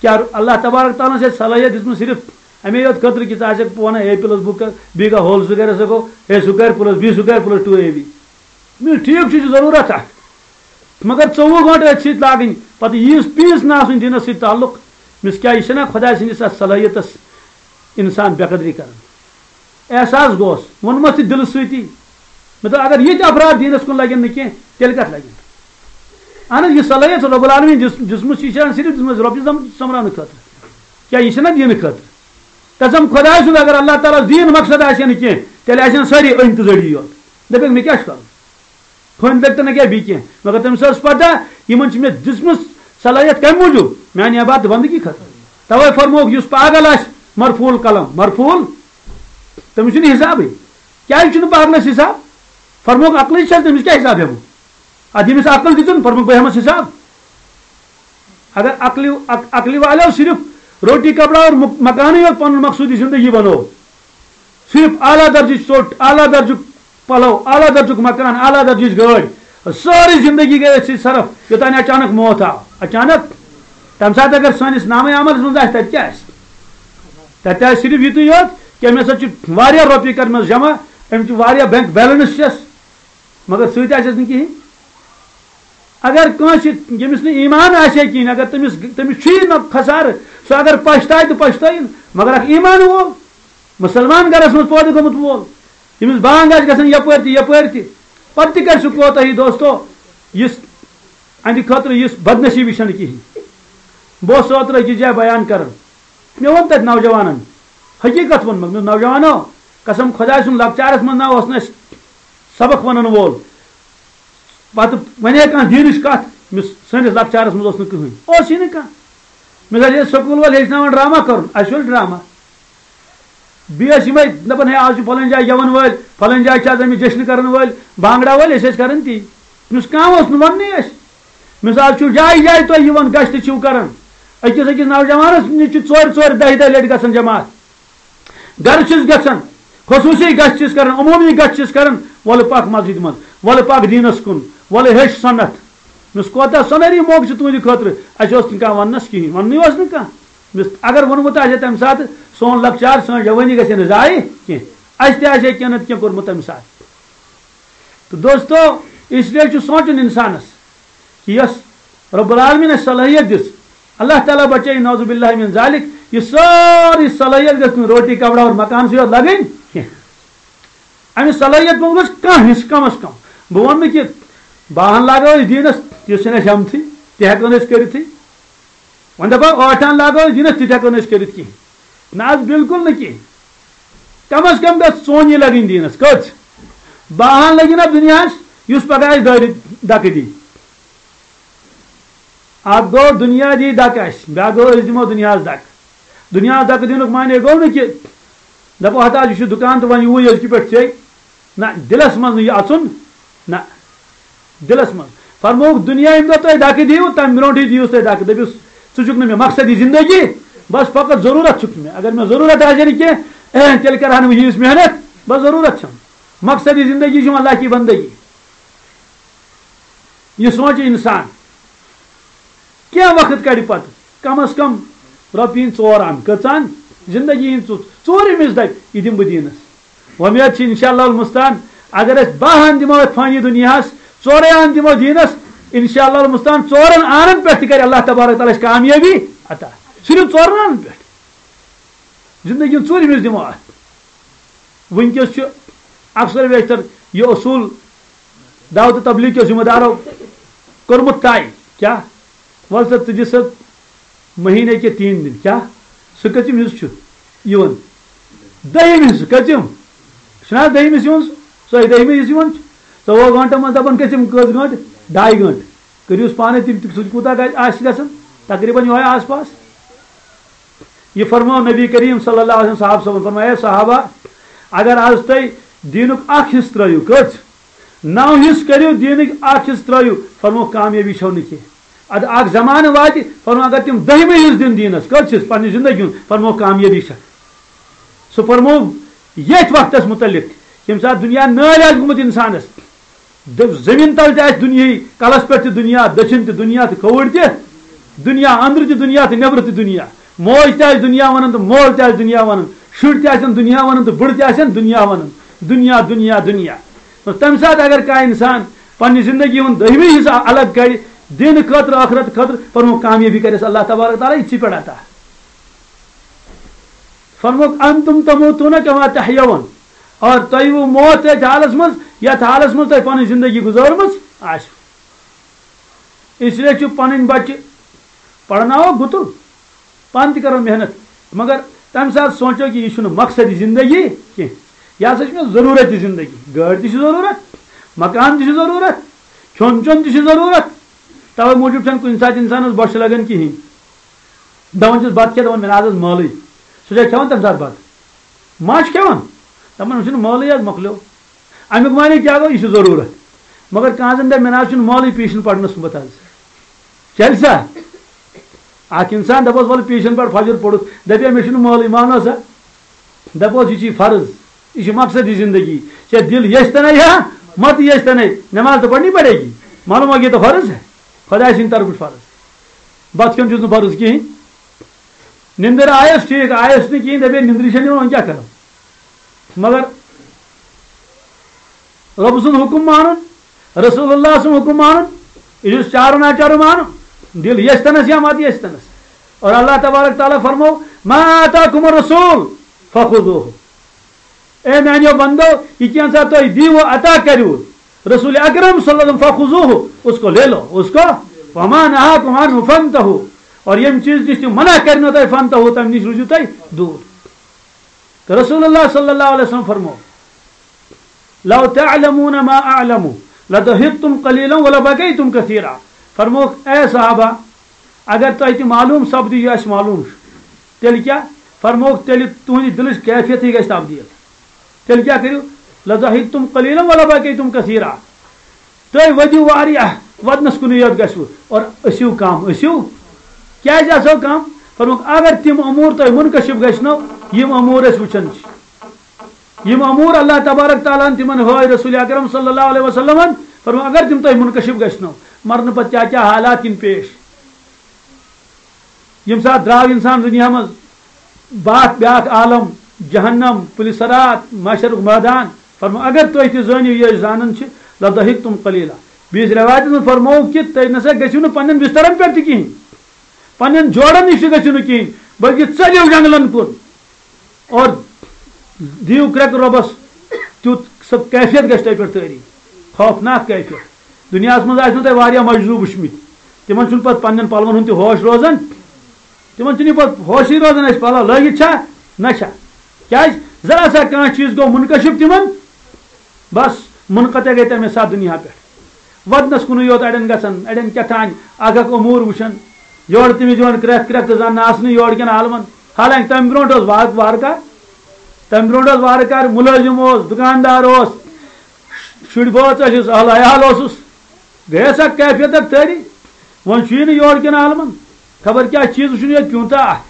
کیٛاہ اللہ تبارک تعالیٰ ہَن چھےٚ صلٲحیت دِژمٕژ صرف اَمے یوت خٲطرٕ کہِ ژٕ آسَکھ وَنان اے پٕلس بُک کَر، بی کا ہول سکویر ہسا گوٚو A square plus B square plus two A B? مےٚ ٹھیٖک چھُ، یہِ چھُ ضروٗرت اَکھ، مگر ژوٚوُہ گٲنٛٹہٕ أتھۍ سۭتۍ لاگٕنۍ، پَتہٕ ییٖژ پیٖژ نہٕ آسٕنۍ دیٖنَس سۭتۍ تعلق۔ مےٚ کیٛاہ، یہِ چھَنہ خۄداے سٕنٛدِس اَتھ صلٲحیتَس اِنسان بے قدری کَران؟ احساس گوس، ووٚنمَس تہِ دِلہٕ سۭتی۔ مےٚ دوٚپ، اگر یِتھۍ افراد دیٖنَس کُن لَگن نہٕ کینٛہہ، تیٚلہِ کَتھ لَگن؟ اہن حظ، یہِ صلٲحیت رۄب العالمین دِژ-، دِژمٕژ چھِ، یہِ چھِ صرف دِژمٕژ رۄبِ زَم-، سۄمبراونہٕ خٲطرٕ۔ کیٛاہ یہِ چھَنہ دیٖنہٕ خٲطرٕ؟ قسم خۄداے سُنٛد، اگر اللہ تعالیٰ ہَس دیٖن مقصد آسہِ ہا نہٕ کینٛہہ، تیٚلہِ آسہِ ہَن سٲری أنۍ تہٕ زٔڑی یوت۔ دَپٮ۪کھ، مےٚ کیٛاہ چھُ کَرُن؟ پھٔنۍ لٔگۍ تہٕ نہ کیٛاہ بیٚیہِ کینٛہہ، مگر تٔمِس ٲس پَتہ، یِمَن چھِ مےٚ دِژمٕژ صلٲحیت کَمہِ موٗجوٗب؟ میٛانہِ عبادت بندگی خٲطرٕ۔ تَوَے فرمووُکھ، یُس پاگل آسہِ، مرفوع القلم، مرفوع، تٔمِس چھُنہٕ حسابٕے۔ کیٛازِ چھُنہٕ پاگلَس حساب؟ فرمووُکھ، عقلٕے چھَنہٕ، تٔمِس کیٛاہ حساب ہٮ۪مو؟ اَدٕ ییٚمِس عقل دِژٕن، فرمووُکھ، بہٕ ہٮ۪مَس حساب۔ اگر عقلہِ، عق-، عقلہِ والیو صرف روٹی کپڑا اور مک-، مکانٕے یوت پَنُن مقصوٗدی زندگی بنوو، صرف اعلیٰ درجٕچ ژوٚٹ، اعلیٰ درجُک پلو، اعلیٰ درجُک مکان، اعلیٰ درجٕچ گٲڑۍ، سٲرٕے زندگی گٔے أتھۍ سۭتۍ صرف، یوٚتام نہٕ اچانک موت آو۔ اچانک؟ تَمہِ ساتہٕ اگر سٲنِس نامے عملس منٛز آسہِ، تَتہِ کیٛاہ آسہِ؟ تَتہِ آسہِ صرف یِتُے یوت کہِ أمِس ہسا چھِ واریاہ رۄپیہِ کٔرمٕژ جمع، أمِس چھِ واریاہ بینک بیلنس چھَس، مگر سۭتۍ آسٮ۪س نہٕ کِہیٖنۍ۔ اگر کٲنٛسہِ، ییٚمِس نہٕ ایمان آسہِ ہے کِہیٖنۍ، اگر تٔمِس، تٔمِس چھُیی نہ خسارٕ، سُہ اگر پَشتاوِ تہٕ پَشتٲیِن، مگر اکھ ایمان وول، مُسلمان گرس منٛز پٲدٕ گوٚمُت وول، ییٚمِس بانگ آسہِ گژھان یپٲرۍ تہِ یپٲرۍ تہِ، پتہٕ تہِ کرِ سُہ کوتاہی، دوستو، یُس اہندِ خٲطرٕ یُس بدنصیبی چھنہٕ کِہینۍ۔ بہٕ اوسُس اوترٕ أکِس جایہِ بیان کران، مےٚ ووٚن تتہِ نوجوانن، حقیقت ووٚنمکھ، مےٚ دوٚپ، نوجوانو، قسم خۄداے سُنٛد، لۄکچارس منٛز نہ اوس نہٕ اَسہِ سبق ونن وول، پتہٕ ونے کانٛہہ دیٖنٕچ کتھ، مےٚ سٲنِس لۄکچارس منٛز اوس نہٕ کٕہٕنۍ، اوسٕے نہٕ کانٛہہ۔ مےٚ دوٚپ، ہے، سکوٗل وٲلۍ ہیٚچھناوان ڈرامہ کرُن، اَسہِ اوس ڈرامہ۔ بیٚیہِ ٲسۍ یِمے دَپان، ہے، آز چھِ فلٲنۍ جایہِ گٮ۪وَن وٲلۍ، فلٲنۍ جایہِ چھِ آز اَمہِ جشنہٕ کَرَن وٲلۍ، بانٛگڑا وٲلۍ، أسۍ ٲسۍ کَران تی۔ تٔمِس کانٛہہ اوس نہٕ وَننٕے اَسہِ۔ مےٚ دوٚپُس، آز چھُو جایہِ جایہِ تۄہہِ یِوان، گشتہٕ چھِو کَران۔ أکِس أکِس نوجوانَس نِش چھِ ژورِ ژورِ دَہہِ دَہہِ لَٹہِ گژھان جماعت۔ گرٕ چھِس گژھان، خصوٗصی گژھِ چھِس کران، عموٗمی گژھِ چھِس کران، وَلہٕ پَکھ مسجد منٛز، وَلہٕ پَکھ دیٖنَس کُن، وَلہٕ ہیٚچھ سُنت۔ مےٚ اوس کوتاہ سۄنہری موقعہٕ چھُ تُہٕنٛدِ خٲطرٕ، اَسہِ اوس نہٕ کانٛہہ وَننَس کِہیٖنۍ، وَننُے اوس نہٕ کانٛہہ۔ مےٚ اوس، اگر ووٚنمُت آسہِ ہے تَمہِ ساتہٕ، سون لۄکچار، سٲنۍ جوٲنی گژھِ ہے نہٕ ضایع کینٛہہ، اَسہِ تہِ آسہِ ہے کینٛہہ نَتہٕ کینٛہہ کوٚرمُت تَمہِ ساتہٕ۔ تہٕ دوستو، اس لیے چھُ سونٛچُن اِنسانَس کہِ یۄس رب العالمین اَسہِ صلٲحیت دِژ، اللہ تعالیٰ بچٲیِن نعوذ باللہ من ذالک، یہِ سٲرٕے صلٲحیت گٔژھ نہٕ روٹی، کپڑا اور مکانسٕے یوت لگٕنۍ کینٛہہ۔ اَمہِ صلٲحیت منٛز گوٚژھ کانٛہہ حصہٕ کم از کم، بہٕ وَنہٕ نہٕ کہِ باہن لاگو أسۍ دیٖنَس، یُس چھُنہٕ اَسہِ ہٮ۪متھٕے، تہِ ہٮ۪کو نہٕ أسۍ کٔرِتھٕے۔ وۄنۍ دَپو ٲٹھن لاگو أسۍ دیٖنَس، تہِ تہِ ہٮ۪کو نہٕ أسۍ کٔرِتھ کِہیٖنۍ۔ نہ حظ، بالکل نہٕ کِہیٖنۍ۔ کم از کم گژھِ ژونی لگٕنۍ دیٖنَس۔ کٔژ؟ باہن لگہِ نہ دُنیاہَس، یُس پگاہ اَسہِ دٲرِتھ دَکہٕ دی۔ اکھ گوٚو دُنیا دی دَکہٕ اَسہِ، بیٛاکھ گوٚو أسۍ دِمو دُنیاہَس دَکہٕ۔ دُنیاہَس دَکہٕ دِنُک معنی گوٚو نہٕ کہِ دَپو ہتا یہِ چھُ دُکان تہٕ وۄنۍ یِیِو أزکہِ پٮ۪ٹھ ژے۔ نہ، دِلَس منٛز نہٕ یہِ اَژُن، نہ، دِلَس منٛز۔ فرمووُکھ، دُنیا ییٚمہِ دۄہ تۄہہِ دَکہٕ دِیِو، تَمہِ برونٛٹھٕے دِیِوُس تۄہہِ دَکہٕ۔ دٔپِوُس، ژٕ چھُکھ نہٕ مےٚ مقصدی زندگی، بَس فقط ضروٗرت چھُکھ مےٚ۔ اگر مےٚ ضروٗرت آسہِ ہے نہٕ کینٛہہ، اے، تیٚلہِ کَرٕ ہا نہٕ بہٕ ییٖژ محنت، بَس ضروٗرت چھَم۔ مقصدی زندگی چھُ وۄنۍ اللہ کی بندگی۔ یہِ سونٛچہِ اِنسان، کینٛہہ وقت کَڑِ پَتہٕ، کم از کم رۄپیہِ یِن ژور اَن، کٔژ اَن؟ زندگی ہِنٛز ژُ-، ژوٗرِمِس دَپہِ، یہِ دِمہٕ بہٕ دیٖنَس۔ وۄمید چھِ انشاءاللہ المستعان، اگر أسۍ باہ اَن دِمو یَتھ فانی دُنیاہَس، ژورَے اَن دِمو دیٖنَس، انشاءاللہ المستعان ژورَن آنَن پٮ۪ٹھ تہِ کَرِ اللہ تبارک تعالیٰ اَسہِ کامیٲبی عطا۔ صرف ژورَن آنَن پٮ۪ٹھ۔ زندگی ہُنٛد ژوٗرِمِس دِمو اَتھ۔ وٕنکیٚس چھُ اکثر بیشتر یہِ اصوٗل دعوت تبلیغ کیو ذمہ دارو کوٚرمُت طے۔ کیٛاہ؟ وَل سا، ژٕ دِ سا مہینے کے تین دن۔ کیٛاہ؟ سُہ کٔژِم حصہٕ چھُ یِوان؟ دٔہِم حصہٕ۔ کٔژِم؟ چھُنہ حظ دٔہِم حصہٕ یِوان؟ سُہ، سُے دٔہِمہِ حصہٕ یِوان چھُ۔ ژۄوُہ گٲنٛٹَن منٛز دَپان کٔژِم، کٔژ گٲنٛٹہٕ؟ ڈاے گٲنٛٹہٕ۔ کٔرِوس پانَے تِم تہِ، سُہ تہِ کوٗتاہ گژھِ، آسہِ گژھان؟ تقریٖباً یِہوٚے آس پاس۔ یہِ فرموو نبی کریم صلی اللہ علیہ وسلم صحابہ صٲبن، فرمایا، "اے صحابہ، اگر از تُہۍ دیٖنُک اکھ حصہٕ ترٲیِو، کٔژ؟ نو حصہٕ کٔرِو دیٖنٕکۍ، اکھ حصہٕ ترٲیِو"، فرموو، "کامیٲبی چھو نہٕ کینٛہہ۔" ادٕ اکھ زمانہٕ واتہِ، فرموو، اگر تِم دٔہمہِ حصہٕ دِن دیٖنس، کٔژ حصہٕ پننہِ زندگی ہُنٛد، فرموو، "کامیٲبی چھےٚ۔" سُہ فرموو ییٚتھۍ وقتس مُتعلق، ییٚمہِ ساتہٕ دُنیا نٲلۍ آسہِ گوٚمُت انسانس۔ دٔپۍ، زٔمیٖن تَل تہِ آسہِ دُنیاہٕے، کَلَس پٮ۪ٹھ تہِ دُنیا، دٔچھِنۍ تہِ دُنیا تہٕ کھووُر تہِ دُنیا، أنٛدرٕ تہِ دُنیا تہٕ نٮ۪برٕ تہِ دُنیا۔ موج تہِ آسہِ دُنیا وَنان تہٕ مول تہِ آسہِ دُنیا وَنان۔ شُرۍ تہِ آسن دُنیا وَنان تہٕ بٕڑٕ تہِ آسن دُنیا وَنان۔ دُنیا، دُنیا، دُنیا۔ تہٕ تَمہِ ساتہٕ اگر کانٛہہ اِنسان پنٛنہِ زِندگی ہُنٛد دٔہمہِ حِصہٕ الگ کَڑِ دِنہٕ خٲطرٕ، ٲخرت خٲطرٕ، فرمووُکھ، کامیٲبی کَرٮ۪س اللہ تبارک تعالیٰ یِتھۍ پٮ۪ٹھ عطا۔ فرمووُکھ، "انتم تموتون کما تحیون"۔ اور تۄہہِ یِیِو موت تٔتھۍ حالس منٛز، یتھ حالس منٛز تۄہہِ پنٕنۍ زندگی گُزٲرمٕژ آسہِ۔ اس لیے چھُ پنٕنۍ بچہِ پرناوو گُتُل، پانہٕ تہِ کرو محنت، مگر تمہِ ساتہٕ سونٛچو کہِ یہِ چھُنہٕ مقصدی زندگی کینٛہہ۔ یہِ ہسا چھِ مےٚ ضروٗرت یہِ زندگی۔ گٲڑۍ تہِ چھِ ضروٗرت، مکان تہِ چھُ ضروٗرت، کھیوٚن چیوٚن تہِ چھُ ضروٗرت۔ توے موٗجوٗب چھَنہٕ کُنہِ ساتہٕ انسانس بۄچھِ لگان کِہیٖنۍ۔ دَپان چھِس بَتہٕ کھےٚ، دَپان مےٚ نہ حظ ٲس مٲلٕے۔ سُہ چھا کھٮ۪وان تَمہِ ساتہٕ بَتہٕ؟ ما چھُ کھٮ۪وان؟ دَپان، "أمِس چھُنہٕ مٲلٕے حظ، مۄکلیو۔" اَمیُک معنی کیٛاہ گوٚو؟ یہِ چھُ ضروٗرت۔ مگر کانٛہہ زَن دَپہِ، "مےٚ نہ حظ چھُنہٕ مٲلٕے پیٖشِن پَرنَس سُمبَتھ حظ۔" چَلہِ سا؟ اَکھ اِنسان دَپوس، "وَلہٕ پیٖشِن پَر، فجر پوٚرُتھ۔" دَپہِ، "مےٚ چھُنہٕ مٲلٕے، مانو سا؟" دَپوس، یہِ چھُے فرض، یہِ چھُ مقصدی زندگی۔ ژےٚ دِل یَژھِ تَنے یا مَتہٕ یَژھِ تَنے، نٮ۪ماز تہٕ پَرنی پَڑے گی۔ معلوم ہو، یہ تو فرض ہے، خۄداے سٕنٛدِ طرفہٕ چھُ فرض۔ بَتہٕ کھیوٚن چھُس نہٕ فرض کِہیٖنۍ۔ نِندٕر آیَس ٹھیٖک، آیَس نہٕ کِہیٖنۍ، دَپے، "نِندرِ چھَنہٕ یِوان، وۄنۍ کیٛاہ کَرو؟" مگر رۄب سُنٛد حُکُم مانُن، رسول اللہ سُنٛد حُکُم مانُن، یہِ چھُس چارو ناچارو مانُن، دِل یَژھِ تَنَس یا مَتہٕ یَژھِ تَنَس۔ اور اللہ تبارک تعالیٰ فرمو، "ما آتاکم الرسول فخذوہ۔" اے میانیو بندو، یہ کینٛژھا تۄہہِ دیٖوٕ عطا کٔرِو رسول اکرم صلی اللہ علیہ وسلم، فخذوہ، اس کو لے لو، اس کو، وما نہاکم عنہ فانتہوا، اور ییٚمہِ چیٖز نِش تِم منع کٔرنو تۄہہِ، فانتہوا، تَمہِ نِش روٗزِو تُہۍ دوٗر۔ تہٕ رسول اللہ صلی اللہ علیہ وسلم فرمو، "لو تعلمون ما اعلم لضحکتم قلیلا ولبکیتم کثیرا۔" فرموکھ، اے صحابہ، اگر تۄہہِ تہِ معلوم سپدِ یہِ اَسہِ معلوم چھُ، تیٚلہِ کیٛاہ؟ فرمووُکھ، تیٚلہِ تُہٕنٛدِ دِلٕچ کیفیتٕے گژھِ تبدیٖل۔ تیٚلہِ کیٛاہ کٔرِو؟ "لضحکتم قلیلا ولبکیتم کثیرا۔" تُہۍ ؤدِو واریاہ، وَدنَس کُنُے یوت گژھِوٕ، اور ٲسِو کم، ٲسِو۔ کیٛازِ آسو کم؟ فرمووُکھ، اگر تِم امور تۄہہِ منکشف گژھنو، یِم امور أسۍ وٕچھان چھِ۔ یِم امور اللہ تبارک تعالیٰ ہن تِمن ہٲوۍ رسول اکرم صلی اللہ علیہ وسلمن، فرموو، اگر تِم تۄہہِ منکشف گژھنو، مرنہٕ پتہٕ کیٛاہ کیٛاہ حالات یِن پیش۔ ییٚمہِ ساتہٕ درٛاو انسان دُنیا منٛز، باتھ بیٛاکھ عالم، جہنم، پُلہِ صراط، محشرُک مٲدان، فرموو، اگر تُہۍ تہِ زٲنِو یہِ أسۍ زانان چھِ، لضحکتم قلیلا۔ بیٚیِس رٮ۪وایتس منٛز فرمووُکھ کہِ تُہۍ نسا گٔژھِو نہٕ پننٮ۪ن بسترن پٮ۪ٹھ تہِ کِہیٖنۍ، پننٮ۪ن جوڑن نِش تہِ گٔژھِو نہٕ کِہیٖنۍ، بلکہِ ژٔلِو جنگلن کُن۔ اور دِیِو کرٛٮ۪کہٕ رۄبَس تیُتھ، سۄ کیفیت گژھِ تۄہہِ پٮ۪ٹھ طٲری، خوفناک کیفیت۔ دُنیاہَس منٛز آسہِ نہٕ تۄہہِ واریاہ مجذوٗب وٕچھمٕتۍ، تِمَن چھُنہٕ پَتہٕ پنٛنٮ۪ن پَلوَن ہُنٛد تہِ ہوش روزان، تِمَن چھُنہٕ یہِ پَتہٕ ہوشٕے روزان، اَسہِ پَلو لٲگِتھ چھا نہ چھا۔ کیٛازِ؟ ذرا سا کانٛہہ چیٖز گوٚو مُنکشف تِمَن، بس، منقطع گٔے تَمے ساتہٕ دُنیا پٮ۪ٹھ۔ وَدنَس کُنُے یوت اَڑٮ۪ن گژھان، اَڑٮ۪ن کیٛاہ تام اَکھ اَکھ اُموٗر وٕچھان، یورٕ تٔمِس یِوان کرٛٮ۪کھ کرٛٮ۪کھ تہٕ زَن ناسنہٕ یورٕ کٮ۪ن عالمَن۔ حالانکہِ تَمہِ برونٛٹھ اوس وارٕ وارٕ کار، تَمہِ برونٛٹھ اوس وارٕ کار، مُلٲزِم اوس، دُکاندار اوس، شُرۍ بٲژ ٲسِس، اہل عیال اوسُس۔ گٔیَس اَکھ کیفیت اَکھ طٲری۔ وۄنۍ چھُ یہِ نہٕ یورٕ کٮ۪ن عالمَن۔ خبر کیٛاہ چیٖز وٕچھُن یوت پیوٗنٛتاہ اَکھ۔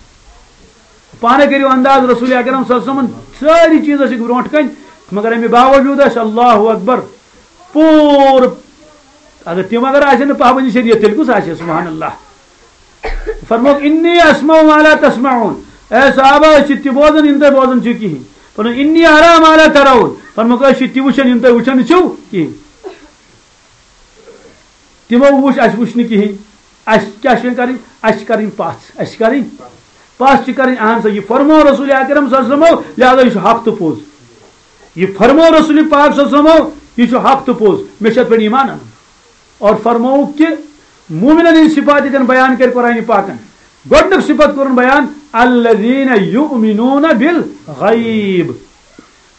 پانَے کٔرِو انداز، رسول اکرم صلی اللہ علیہ وسلمن سٲری چیٖز ٲسِکھ برونٛٹھ کَنہِ، مگر اَمہِ باوجوٗد ٲسۍ اللہ اکبر پوٗرٕ۔ اگر تِم اگر آسن نہٕ پابندی شریعت، تیٚلہِ کُس آسہِ؟ سبحان اللہ۔ فرمووُکھ، "انی اسمع ما لا تسمعون"۔ اے صحابہ، أسۍ چھِ تہِ بوزان، یِم تُہۍ بوزان چھِو کِہیٖنۍ۔ فرمووُکھ، "انی ارا ما لا ترون"۔ فرمووُکھ، أسۍ چھِ تہِ وٕچھان، یِم تُہۍ وٕچھان چھِو کِہیٖنۍ۔ تِمو وٕچھ، اَسہِ وٕچھ نہٕ کِہیٖنۍ۔ اَسہِ کیٛاہ چھِ وۄنۍ کَرٕنۍ؟ اَسہِ چھِ کَرٕنۍ پَژھ، اَسہِ چھِ کَرٕنۍ پَژھ چھِ کَرٕنۍ۔ اہن سا، یہِ فرموو رسول اکرم صلی اللہ علیہ وسلمو، لہذا یہِ چھُ حق تہٕ پوٚز۔ یہِ فرموو رسول پاک صلی اللہ علیہ وسلمو، یہِ چھُ حق تہٕ پوٚز۔ مےٚ چھُ اَتھ پٮ۪ٹھ ایمان اَنُن۔ اور فرمووُکھ کہِ مومنن ہٕنٛدۍ صفات ییٚتٮ۪ن بیان کٔرۍ قرآنِ پاکن، گۄڈٕنیُک صفت کوٚرُن بیان، "الذین یؤمنون بالغیب"۔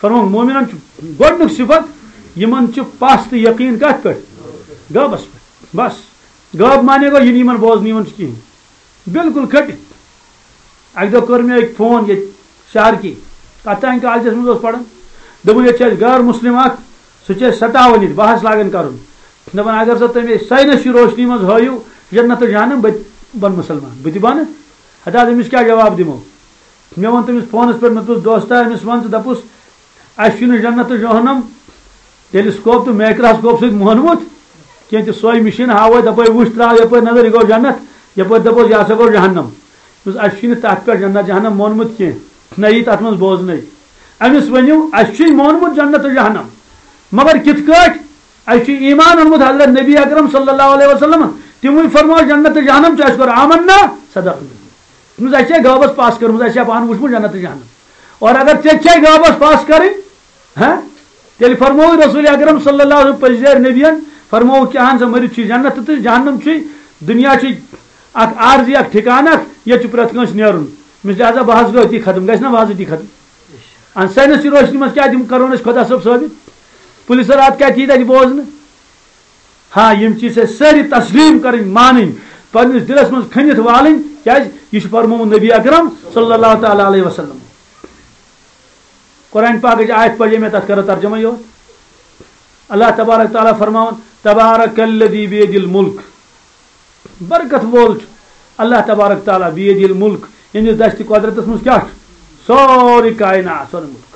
فرمووُکھ، مومنن چھُ گۄڈٕنیُک صفت، یِمن چھُ پَژھ تہٕ یقیٖن کَتھ پٮ۪ٹھ؟ غٲبس پٮ۪ٹھ۔ بس، غٲب معنی گوٚو، یہِ نہٕ یِمن بوزنہٕ یِوان چھُ کِہیٖنۍ۔ بالکل کھٔٹِتھ۔ اَکہِ دۄہ کٔر مےٚ أکۍ فون ییٚتہِ شہرکی، کَتھ تام کالجَس منٛز اوس پَران۔ دوٚپُن، "ییٚتہِ چھِ اَسہِ غٲر مُسلِم اَکھ، سُہ چھُ اَسہِ سَتاوان ییٚتہِ، بحث لاگان کَرُن۔ دَپان، اگر سا تُہۍ مےٚ ساینَس چہِ روشنی منٛز ہٲیِو جنت تہٕ جہنم، بہٕ تہِ بَنہٕ مُسلمان، بہٕ تہِ بَنہٕ۔" ہتا، أمِس کیٛاہ جواب دِمو؟ مےٚ ووٚن تٔمِس فونَس پٮ۪ٹھ، مےٚ دوٚپُس، "دوستا، أمِس وَن ژٕ، دَپُس، اَسہِ چھُنہٕ جنت تہٕ جہنم ٹیلیسکوپ تہٕ مایکراسکوپ سۭتۍ مونمُت کینٛہہ، تہِ سۄے مِشیٖن ہاوو، دَپو، وٕچھ، ترٛاو یَپٲرۍ نظر، یہِ گوٚو جنت، یَپٲرۍ دَپوس، یہِ ہسا گوٚو جہنم۔" دوٚپُس، اَسہِ چھُنہٕ تَتھ پٮ۪ٹھ جنت جہنم مونمُت کینٛہہ، نہ یی تَتھ منٛز بوزنَے۔ أمِس ؤنِو، اَسہِ چھُے مونمُت جنت تہٕ جہنم، مگر کِتھ کٲٹھۍ؟ اَسہِ چھُ ایمان اوٚنمُت حضرت نبی اکرم صلی اللہ علیہ وسلم، تِموٕے فرموو، جنت تہٕ جہنم چھُ، اَسہِ کوٚر آمنا، صدقنا۔ دوٚپمَس، اَسہِ چھےٚ غٲبَس پَژھ کٔرمٕژ، اَسہِ چھےٚ پانہٕ وٕچھمُت جنت تہٕ جہنم۔ اور اگر ژےٚ تہِ چھے غٲبَس پَژھ کَرٕنۍ، ہاں، تیٚلہِ فرمووُے رسول اکرم صلی اللہ علیہ وسلم، پٔزۍ نبیَن فرمووُکھ کہِ اہن سا، مٔرِتھ چھُ جنت تہٕ جہنم چھُے، دُنیا چھُے اکھ عارضی، اکھ ٹھِکانہٕ اکھ، ییٚتہِ چھُ پرٛٮ۪تھ کٲنٛسہِ نیرُن۔ مےٚ چھُ لہذا بحث گوٚو أتی ختم، گژھِ نہ بحث أتی ختم؟ اَن ساینس چہِ روشنی منٛز کیٛاہ دِم، کرو نہٕ أسۍ خۄدا صٲب ثٲبت؟ پُلہِ صٲب، راتھ کیٛاہ تہِ یی تَتہِ بوزنہٕ؟ ہاں، یِم چیٖز چھِ اَسہِ سٲری تسلیٖم کَرٕنۍ، مانٕنۍ، پنٛنِس دِلَس منٛز کھٔنِتھ والٕنۍ، کیٛازِ یہِ چھُ فرمومُت نبی اکرم صلی اللہ تعالیٰ علیہ وسلم۔ قرآن پاکٕچ آیت پَرے مےٚ، تَتھ کَرو ترجمہ یوت۔ اللہ تبارک تعالیٰ فرماوان، "تبارک الذی بیدِ الملک"، برکت وول چھُ اللہ تبارک تعالیٰ، بیدِ الملک، ییٚمِس دستِ قۄدرتَس منٛز کیٛاہ چھُ؟ سورُے کائنات، سورُے مُلک۔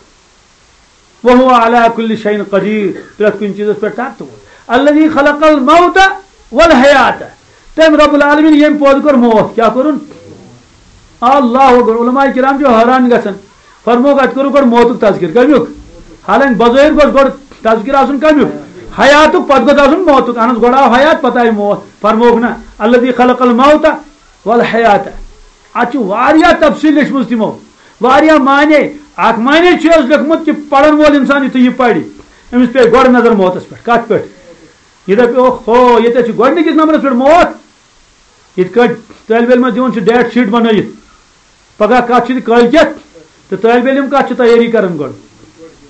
وهو على كل شيء قدير، پرٛٮ۪تھ کُنہِ چیٖزَس پٮ۪ٹھ طاقتہٕ وول۔ الذي خلق الموت والحياة، تٔمۍ رب العالمین ییٚمۍ پٲدٕ کوٚر موت، کیٛاہ کوٚرُن؟ اللہ اکبر۔ علماء کرام چھِ حٲران گژھان، فرمووُکھ، اَتہِ کوٚرُکھ گۄڈٕ موتُک تذکر، کَمیُک؟ حالانکہِ بظٲہِر گوٚژھ گۄڈٕ تذکر آسُن کَمیُک؟ حیاتُک، پَتہٕ گوٚژھ آسُن موتُک۔ اہن حظ، گۄڈٕ آو حیات، پَتہٕ آیہِ موت۔ فرمووُکھ نہ، الذي خلق الموت والحیات۔ اَتھ چھِ واریاہ تفصیٖل لیٚچھمٕژ تِمو، واریاہ معنی۔ اَکھ معنی چھُ حظ لیوٚکھمُت کہِ پَرَن وول اِنسان یُتھُے یہِ پَرِ، أمِس پیٚیہِ گۄڈٕ نظر موتَس پٮ۪ٹھ۔ کَتھ پٮ۪ٹھ؟ یہِ دَپہِ، اوہ ہو، ییٚتہِ حظ چھُ گۄڈٕنِکِس نمبرَس پٮ۪ٹھ موت۔ یِتھ کٲٹھۍ طٲلبہِ علمَس دِوان چھِ ڈیٹ شیٖٹ بَنٲیِتھ، پَگاہ کَتھ چھِ کٲلۍ کٮ۪تھ، تہٕ طٲلبہِ علم کَتھ چھِ تیٲری کَران گۄڈٕ؟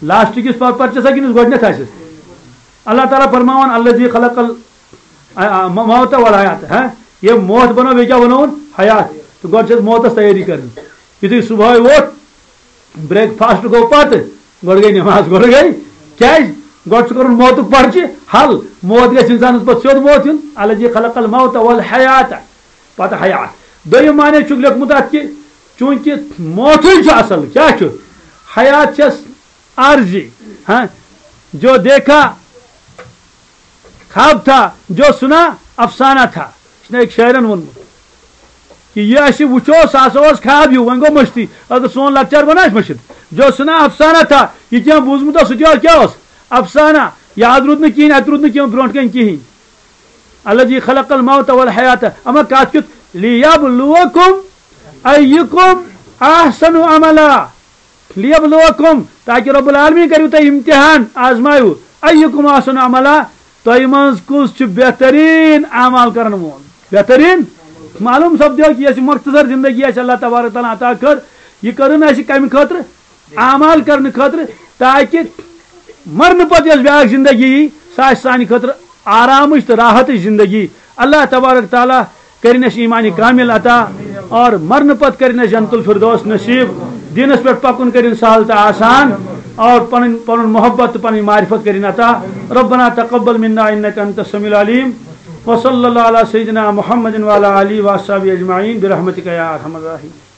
لاسٹٕکِس پَر-، پَرچَس ہا کِنہٕ گۄڈٕنٮ۪تھ آسٮ۪س؟ اللہ تعالیٰ فرماوان، الذی خلق ال-، آ، آ، م-، موت والحیات، ہاں؟ یہِ موت بَنوو، بیٚیہِ کیٛاہ بَنووُن؟ حیات۔ تہٕ گۄڈٕ چھِ اَسہِ موتَس تیٲری کَرٕنۍ۔ یُتھُے صُبحٲے ووٚتھ، بریک فاسٹ گوٚو پتہٕ، گۄڈٕ گٔے نماز، گۄڈٕ گٔے۔ کیٛازِ؟ گۄڈٕ چھُ کرُن موتُک پرچہِ حل۔ موت گژھِ انسانس پتہٕ سیوٚد موت یُن۔ الذی خلق الموت والحیات، پتہٕ حیات۔ دوٚیِم معنی چھُکھ لیوٚکھمُت اتھ کہِ چوٗنٛکہِ موتُے چھُ اصل، کیٛاہ چھُ؟ حیات چھس عارضی، ہاں، جو دیکھا خواب تھا، جو سنا افسانہ تھا۔ یہِ چھُنہ أکۍ شٲعرن ووٚنمُت کہ یہِ اَسہِ وٕچھو، سُہ ہسا اوس خواب ہیوٗ، وۄنۍ گوٚو مٔشتٕے۔ اگر سون لۄکچار بناو اَسہِ مٔشِتھ، جو سنا افسانہ تھا، یہِ کینٛہہ بوٗزمُت اوس، سُہ تہِ اوس، کیٛاہ اوس؟ افسانہ۔ یاد روٗد نہٕ کِہیٖنۍ، اَتہِ روٗد نہٕ کینٛہہ برونٛٹھ کَنہِ کِہیٖنۍ۔ الذی خلق الموت والحیات، اما کتھ کیُتھ؟ لیبلوکم ایکم احسن عملا۔ لیبلوکم، تاکہ رب العالمین کریو تۄہہِ امتحان، آزمایو، ایکم احسن عملا، تۄہہِ منٛز کُس چھُ بہترین اعمال کرن وول؟ بہترین۔ معلوم سپدیو کہ یۄس یہِ مختصر زندگی اسہِ اللہ تبارک تعالیٰ عطا کٔر، یہِ کٔرٕن اسہِ کمہِ خٲطرٕ؟ اعمال کرنہٕ خٲطرٕ، تاکہ مرنہٕ پتہٕ یۄس بیاکھ زندگی یی، سۄ آسہِ سانہِ خٲطرٕ آرامٕچ تہٕ راحتٕچ زندگی۔ اللہ تبارک تعالیٰ کرِن اسہِ ایمان کامل عطا اور مرنہٕ پتہٕ کرِن اسہِ جنت الفردوس نصیب۔ دینس پٮ۪ٹھ پکُن کرِن سہل تہٕ آسان اور پنٕنۍ، پنُن محبت تہٕ پنٕنۍ معرفت کرِن عطا۔ ربنا تقبل منا انك انت السميع العليم۔ وصلى الله على سيدنا محمد وعلى آله وأصحابه أجمعين برحمتك يا أرحم الراحمين۔